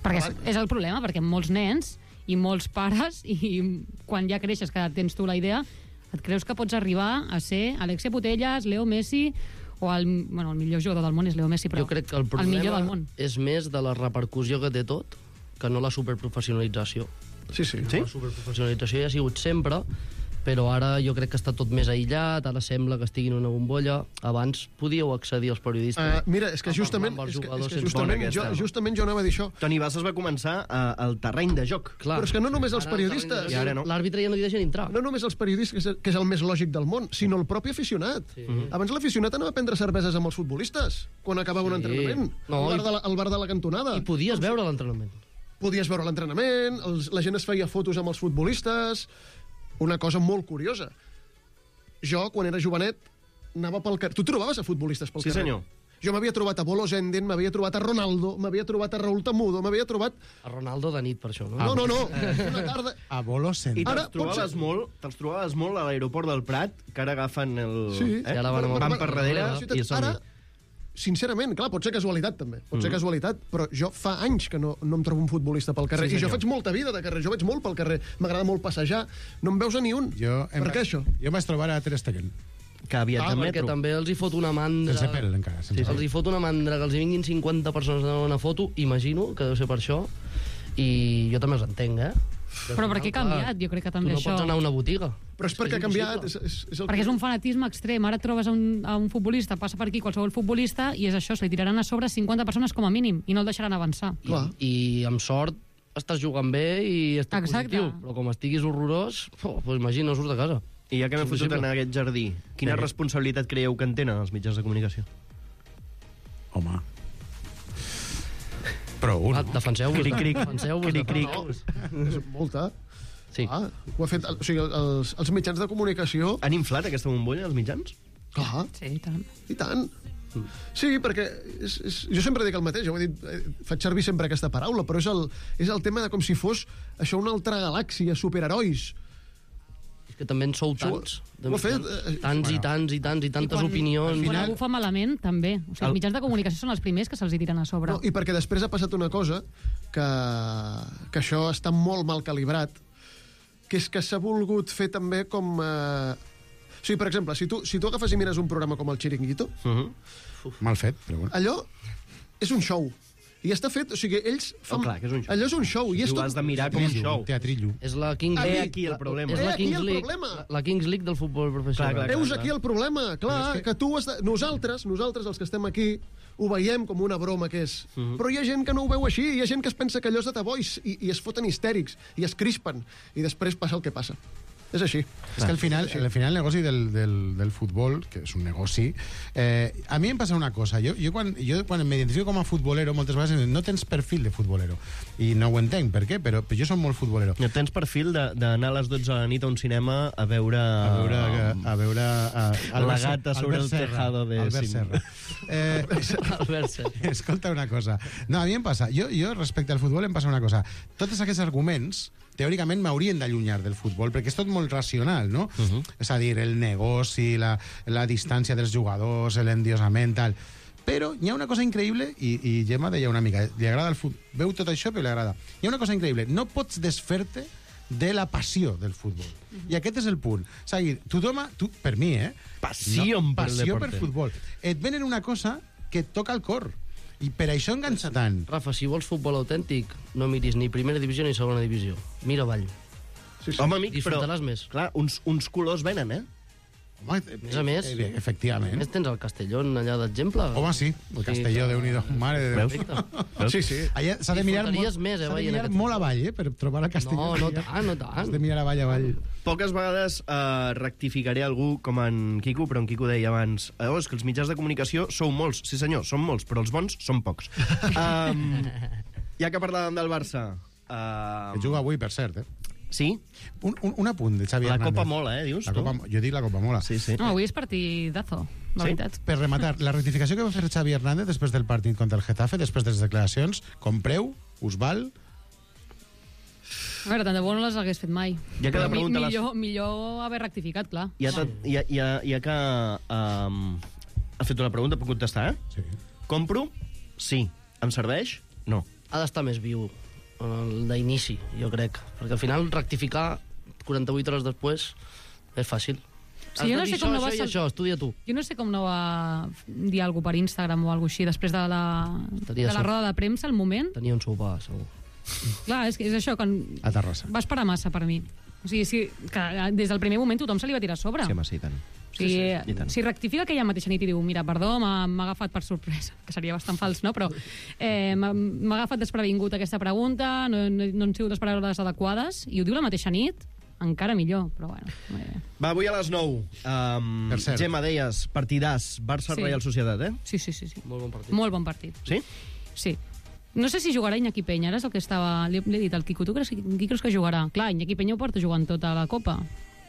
Speaker 10: Perquè és el problema, perquè molts nens i molts pares, i quan ja creixes que tens tu la idea, et creus que pots arribar a ser Alexia Putellas, Leo Messi, o el millor jugador del món és Leo Messi, però
Speaker 9: jo crec que el problema és més de la repercussió que té tot que no la superprofessionalització.
Speaker 11: Sí.
Speaker 9: La superprofessionalització ja ha sigut sempre, però ara jo crec que està tot més aïllat, ara sembla que estigui en una bombolla. Abans podíeu accedir als periodistes.
Speaker 11: Mira, és que justament jo anava a dir això.
Speaker 2: Toni Valls es va començar al terreny de joc.
Speaker 11: Clar. Però és que no només els periodistes...
Speaker 9: L'àrbitre ja no li deixen entrar.
Speaker 11: No només els periodistes, que és el més lògic del món, sinó el propi aficionat. Sí. Abans l'aficionat anava a prendre cerveses amb els futbolistes, quan acabava un entrenament, al bar de la cantonada.
Speaker 9: I podies veure l'entrenament.
Speaker 11: Podies veure l'entrenament, la gent es feia fotos amb els futbolistes... Una cosa molt curiosa. Jo, quan era jovenet, anava pel carrer... Tu trobaves a futbolistes pel carrer?
Speaker 2: Sí, senyor.
Speaker 11: Jo m'havia trobat a Bolo Zenden, m'havia trobat a Ronaldo, m'havia trobat a Raúl Tamudo, m'havia trobat...
Speaker 9: A Ronaldo de nit, per això, no?
Speaker 11: No. Una tarda...
Speaker 8: A Bolo Zenden.
Speaker 2: I te'ls trobaves molt a l'aeroport del Prat, que ara agafen el...
Speaker 11: Sí.
Speaker 2: Van per darrere i són...
Speaker 11: sincerament, clar, pot ser casualitat també, pot ser casualitat, però jo fa anys que no em trobo un futbolista pel carrer, i jo faig molta vida de carrer, jo vaig molt pel carrer, m'agrada molt passejar, no em veus a ni un. Per què això?
Speaker 8: Jo em vaig trobar a Ter Stegen.
Speaker 2: Que aviat de metro.
Speaker 9: Perquè també els hi fot una mandra...
Speaker 8: Sense pèl, encara.
Speaker 9: Els hi fot una mandra que els hi vinguin 50 persones a una foto, imagino que deu ser per això, i jo també els entenc,
Speaker 10: Però per què ha canviat? Jo crec que també
Speaker 9: tu no
Speaker 10: això...
Speaker 9: pots anar a una botiga.
Speaker 11: Però és perquè ha canviat.
Speaker 10: Perquè és un fanatisme extrem. Ara trobes a un futbolista, passa per aquí qualsevol futbolista, i és això, se li tiraran a sobre 50 persones com a mínim, i no el deixaran avançar.
Speaker 9: I amb sort estàs jugant bé i estàs positiu, però com estiguis horrorós, doncs imagina, no surts de casa.
Speaker 2: I ja que m'he fotut en aquest jardí, quina responsabilitat creieu que en tenen els mitjans de comunicació?
Speaker 8: Home... Prou, no?
Speaker 9: Defenseu-vos.
Speaker 11: Defenseu-vos. És molta.
Speaker 9: Sí.
Speaker 11: Ho ha fet... O sigui, els mitjans de comunicació...
Speaker 2: Han inflat aquesta bombolla, els mitjans?
Speaker 11: Clar.
Speaker 10: Sí, i tant.
Speaker 11: I tant. Sí, perquè jo sempre dic el mateix, ho he dit, faig servir sempre aquesta paraula, però és el tema de com si fos això una altra galàxia, superherois.
Speaker 9: És que també en sou tants.
Speaker 11: Ho ha fet...
Speaker 9: Tants i tants i tants i tantes opinions.
Speaker 10: Quan algú fa malament, també. O sigui, els mitjans de comunicació són els primers que se'ls hi tiren a sobre.
Speaker 11: No, i perquè després ha passat una cosa que això està molt mal calibrat, que és que s'ha volgut fer també com... O sigui, per exemple, si tu agafes i mires un programa com el Chiringuito...
Speaker 8: Mal fet, però bueno.
Speaker 11: Allò és un show. I està fet, o sigui, ells fan...
Speaker 2: Clar, que és un show.
Speaker 11: Allò és un show. I és
Speaker 2: Tu
Speaker 11: tot...
Speaker 2: has de mirar com un show.
Speaker 8: Teatrillo.
Speaker 9: És la Kings League.
Speaker 2: aquí el problema.
Speaker 9: És la
Speaker 11: aquí
Speaker 9: Kings
Speaker 11: el
Speaker 9: League.
Speaker 11: problema.
Speaker 9: La Kings League del futbol professional.
Speaker 11: Veus aquí el problema, clar, que tu has de... Nosaltres, els que estem aquí, ho veiem com una broma que és. Però hi ha gent que no ho veu així, hi ha gent que es pensa que allò és de tabó i es foten histèrics, i es crispen, i després passa el que passa. És així.
Speaker 8: És que al final el negoci del futbol, que és un negoci, a mi em passa una cosa. Jo quan m'identifico com a futbolero, moltes vegades no tens perfil de futbolero. I no ho entenc, per què? Però jo som molt futbolero.
Speaker 2: No tens perfil d'anar a les 12 de la nit a un cinema a veure la gata sobre el tejado de
Speaker 8: Albert Serra.
Speaker 9: Albert Serra.
Speaker 8: Escolta una cosa. No, a mi em passa, jo respecte al futbol em passa una cosa. Tots aquests arguments teòricament m'haurien d'allunyar del futbol, perquè és tot molt racional, no? És a dir, el negoci, la distància dels jugadors, l'endiosament, tal. Però hi ha una cosa increïble, i Gemma deia una mica, li agrada el futbol, veu tot això però li agrada. Hi ha una cosa increïble, no pots desfer-te de la passió del futbol. I aquest és el punt. És a dir, per mi,
Speaker 2: passió
Speaker 8: per futbol. Et venen una cosa que et toca el cor. I per això enganxa tant.
Speaker 9: Rafa, si vols futbol autèntic, no miris ni primera divisió ni segona divisió. Mira avall.
Speaker 2: Home, amic, però...
Speaker 9: Disfrutaràs més.
Speaker 2: Clar, uns colors venen,
Speaker 8: Home,
Speaker 9: a més,
Speaker 8: efectivament.
Speaker 9: A més tens el Castellón allà d'exemple.
Speaker 8: Home, sí, el Castelló, Déu-n'hi-do, mare de Déu.
Speaker 9: Veus?
Speaker 8: Sí. Allà s'ha de mirar molt avall, per trobar el Castelló.
Speaker 9: No tant.
Speaker 8: Has de mirar avall.
Speaker 2: Poques vegades rectificaré algú com en Quico, però en Quico deia abans és que els mitjans de comunicació sou molts. Sí, senyor, són molts, però els bons són pocs. Ja que parlàvem del Barça...
Speaker 8: Que juga avui, per cert,
Speaker 2: Sí?
Speaker 8: Un apunt de Xavi Hernández.
Speaker 2: La Copa mola, dius tu?
Speaker 8: Jo dic la Copa mola.
Speaker 2: Sí.
Speaker 10: No, avui és partidazo, la veritat.
Speaker 8: Per rematar, la rectificació que va fer Xavi Hernández després del partit contra el Getafe, després de les declaracions, compreu, us val...
Speaker 10: A veure, tant de bo no les hagués fet mai.
Speaker 2: Ja que la pregunta
Speaker 10: millor haver rectificat, clar.
Speaker 2: Ja que ha fet una pregunta, puc contestar,
Speaker 8: Sí.
Speaker 2: Compro? Sí. Em serveix? No.
Speaker 9: Ha d'estar més viu d'inici, jo crec. Perquè al final rectificar 48 hores després és fàcil.
Speaker 10: Sí, jo no sé com no va...
Speaker 9: Això, estudia tu.
Speaker 10: Jo no sé com no va dir alguna per Instagram o alguna així després de la roda de premsa, al moment.
Speaker 9: Tenia un sopar, segur.
Speaker 10: Clar, és això, que
Speaker 8: a Terrassa.
Speaker 10: Va esperar massa per mi. O sigui, que des del primer moment tothom se li va tirar a sobre.
Speaker 2: Sí, home, sí, tant.
Speaker 10: O sigui, si rectifica aquella mateixa nit i diu mira, perdó, m'ha agafat per sorpresa, que seria bastant fals, no? Però m'ha agafat desprevingut aquesta pregunta, no han sigut les paraules adequades, i ho diu la mateixa nit, encara millor, però bueno.
Speaker 2: Va, avui a les 9. Gemma, deies, partidàs, Barça-Reial Societat,
Speaker 10: Sí.
Speaker 9: Molt bon partit.
Speaker 10: Molt bon partit.
Speaker 2: Sí?
Speaker 10: Sí. No sé si jugarà Iñaki Peña, ara és el que estava... Li he dit al Quico, tu qui creus que jugarà? Clar, Iñaki Peña ho porta jugant tota la Copa,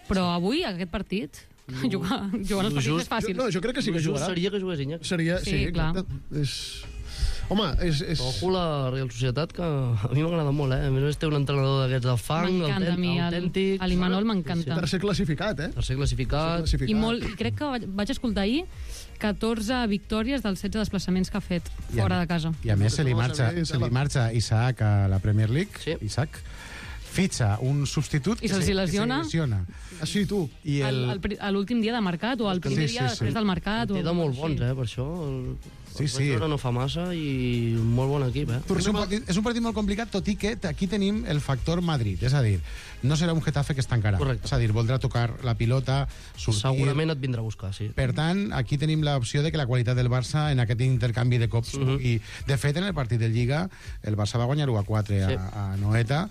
Speaker 10: però avui, aquest partit... Jugant els partits és fàcil.
Speaker 11: No, jo crec que sí que jugarà.
Speaker 9: Seria que jugués Iñaki.
Speaker 11: Seria, sí,
Speaker 10: clar.
Speaker 11: exacte. Home, és...
Speaker 9: Ojo la Real Societat, que a mi m'agrada molt, A més, té un entrenador d'aquests de fang,
Speaker 10: m'encanta a mi,
Speaker 9: autèntic.
Speaker 10: l'Imanol m'encanta.
Speaker 11: Tercer classificat,
Speaker 9: Tercer classificat.
Speaker 10: I crec que vaig escoltar ahir 14 victòries dels 16 desplaçaments que ha fet fora de casa.
Speaker 8: I a més se li marxa Isaac a la Premier League, Isaac fitxa un substitut
Speaker 10: i se'ls lesiona.
Speaker 11: Així tu.
Speaker 10: I l'últim dia de mercat o el primer dia després del mercat.
Speaker 9: Té de molt bons, per això.
Speaker 8: Sí.
Speaker 9: No fa massa i molt bon equip,
Speaker 8: És un partit molt complicat, tot i que aquí tenim el factor Madrid, és a dir, no serà un Getafe que es tancarà.
Speaker 9: Correcte.
Speaker 8: És a dir, voldrà tocar la pilota, sortir...
Speaker 9: Segurament et vindrà a buscar, sí.
Speaker 8: Per tant, aquí tenim l'opció de que la qualitat del Barça en aquest intercanvi de cops i de fet, en el partit de Lliga, el Barça va guanyar 1-4 a Noeta,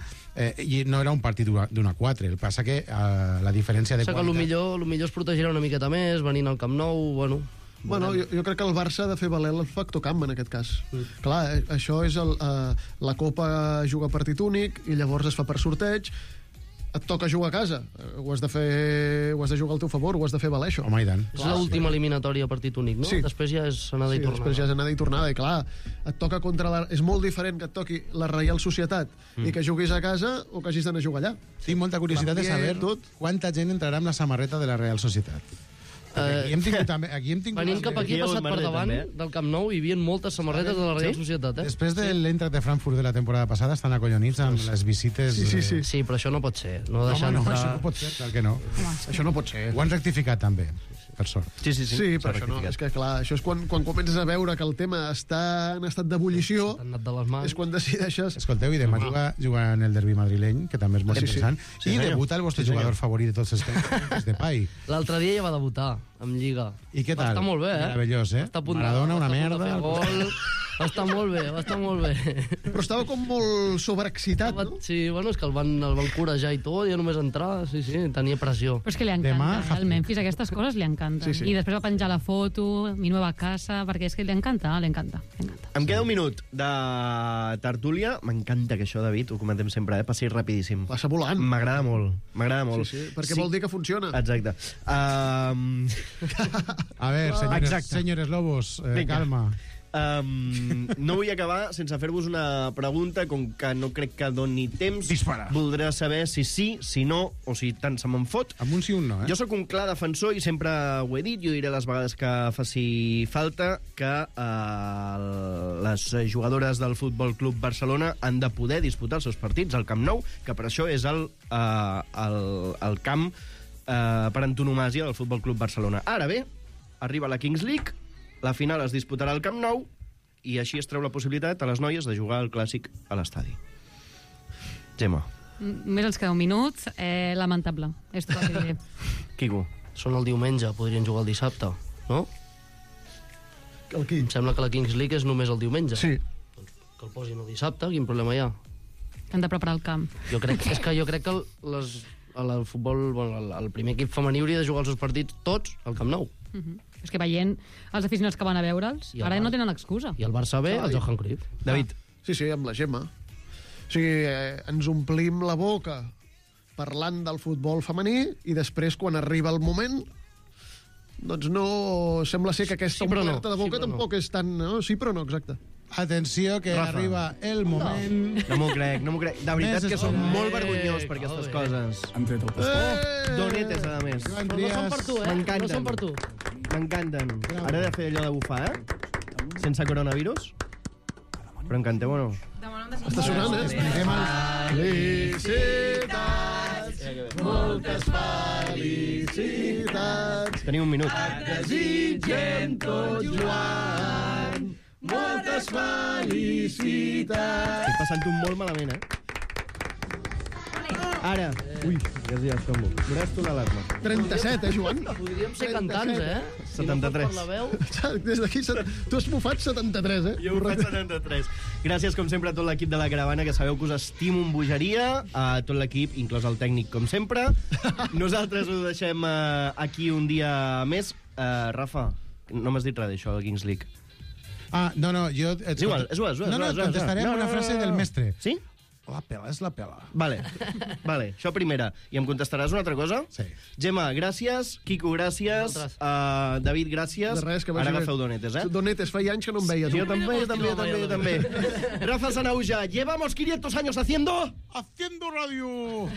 Speaker 8: i no era un partit d'1-4, el que passa que la diferència de qualitat...
Speaker 9: Que millor es protegirà una miqueta més, venint al Camp Nou,
Speaker 11: Bueno, jo crec que el Barça ha de fer valer el factor camp, en aquest cas. Clar, això és la Copa juga partit únic i llavors es fa per sorteig. Et toca jugar a casa. Ho has de jugar al teu favor, ho has de fer valer, això.
Speaker 8: Home, i tant.
Speaker 9: És l'última eliminatòria partit únic, no?
Speaker 11: Sí.
Speaker 9: Després ja és anada i tornada.
Speaker 11: Després ja és anada i tornada, i clar, et toca contra és molt diferent que et toqui la Reial Societat i que juguis a casa o que hagis d'anar a jugar allà.
Speaker 8: Tinc molta curiositat de saber quanta gent entrarà amb la samarreta de la Real Societat. Aquí hem tingut
Speaker 9: venint cap aquí, passat per davant del Camp Nou, hi havia moltes samarretes de la Real Societat.
Speaker 8: Després de l'Eintracht de Frankfurt de la temporada passada estan acollonits amb les visites...
Speaker 9: Sí, però això no pot ser. No,
Speaker 8: això no pot ser, clar que no.
Speaker 11: Això no pot ser.
Speaker 8: Ho han rectificat també, per sort.
Speaker 11: Sí, però això no. És que clar, això és quan comences a veure que el tema està en estat d'ebullició, és quan decideixes...
Speaker 8: Escolteu, i demà juga en el derbi madrileny, que també és molt interessant, i debuta el vostre jugador favorit de tots els temps, Depay.
Speaker 9: L'altre dia ja va debutar amb Lliga.
Speaker 8: I què tal?
Speaker 9: Va estar molt bé,
Speaker 8: Meravellós, Maradona, una merda.
Speaker 9: Va estar molt bé.
Speaker 11: Però estava com molt sobreexcitat, no?
Speaker 9: Sí, bueno, és que el van corejar i tot, ja només entrar, sí, tenia pressió.
Speaker 10: Però és que li encanta, el Memphis, aquestes coses li encanten. I després va penjar la foto, mi nueva casa, perquè és que li encanta.
Speaker 2: Em queda un minut de tertúlia. M'encanta que això, David, ho comentem sempre, passi rapidíssim.
Speaker 11: Passa volant.
Speaker 2: M'agrada molt.
Speaker 11: Sí, perquè vol dir que funciona.
Speaker 2: Exacte.
Speaker 8: A ver, señores lobos, calma.
Speaker 2: No vull acabar sense fer-vos una pregunta, com que no crec que doni temps.
Speaker 8: Dispara.
Speaker 2: Voldrà saber si sí, si no, o si tant se me'n fot.
Speaker 8: Amb un sí o un no,
Speaker 2: Jo sóc un clar defensor, i sempre ho he dit, jo diré les vegades que faci falta, que les jugadores del Futbol Club Barcelona han de poder disputar els seus partits al Camp Nou, que per això és el camp per antonomàsia del Futbol Club Barcelona. Ara bé, arriba la Kings League, la final es disputarà al Camp Nou i així es treu la possibilitat a les noies de jugar al Clàssic a l'estadi. Gemma.
Speaker 10: Més els queda un minut. Lamentable. És tot el que diré.
Speaker 2: Quico.
Speaker 9: Són el diumenge, podrien jugar el dissabte, no? Em sembla que la Kings League és només el diumenge.
Speaker 11: Sí.
Speaker 9: Doncs que el posin el dissabte, quin problema hi ha?
Speaker 10: Han de preparar el camp.
Speaker 9: Jo crec que el futbol, el primer equip femení hauria de jugar els seus partits tots al Camp Nou.
Speaker 10: És que veient els aficionats que van a veure'ls, ara no tenen excusa.
Speaker 9: I el Barça B, el Johan Cruyff.
Speaker 2: David.
Speaker 11: Sí, amb la Gemma. O sigui, ens omplim la boca parlant del futbol femení i després, quan arriba el moment, doncs no... Sembla ser que aquesta omplerta de boca tampoc és tan... No? Sí, però no, exacte.
Speaker 8: Atenció, que arriba el moment...
Speaker 2: No m'ho crec. De veritat que som molt vergonyós per aquestes coses. Donetes, a més.
Speaker 9: Però no són per tu,
Speaker 2: M'encanten.
Speaker 9: No són per tu.
Speaker 2: M'encanten. Ara he de fer allò de bufar, sense coronavirus. Però en canteu o no?
Speaker 11: Està sonant, Felicitats, moltes felicitats.
Speaker 2: Teniu un minut.
Speaker 11: Et desitgem tot, Joan, moltes felicitats.
Speaker 2: Estic passant-ho molt malament, Ara. Ui, ja es tombo. Veuràs tu l'alarma.
Speaker 11: 37, Joan?
Speaker 9: Podríem ser cantants,
Speaker 2: 73.
Speaker 9: Si no la veu...
Speaker 11: Des d'aquí, tu has bufat 73,
Speaker 2: Jo he bufat 73. Gràcies, com sempre, a tot l'equip de la Caravana, que sabeu que us estimo amb bogeria, a tot l'equip, inclòs el tècnic, com sempre. Nosaltres ho deixem aquí un dia més. Rafa, no m'has dit res d'això, del Kings League.
Speaker 8: No, jo...
Speaker 2: És igual.
Speaker 8: No, contestaré amb una frase del mestre.
Speaker 2: Sí?
Speaker 8: La pela és la pela.
Speaker 2: Vale, això primera. I em contestaràs una altra cosa?
Speaker 8: Sí.
Speaker 2: Gemma, gràcies. Quico, gràcies. David, gràcies.
Speaker 11: De res, que
Speaker 2: Ara agafeu donetes,
Speaker 11: Donetes, feia anys que no em veia, tu.
Speaker 2: Yo también. Rafa Sanauja, llevamos 500 años haciendo
Speaker 8: Haciendo radio.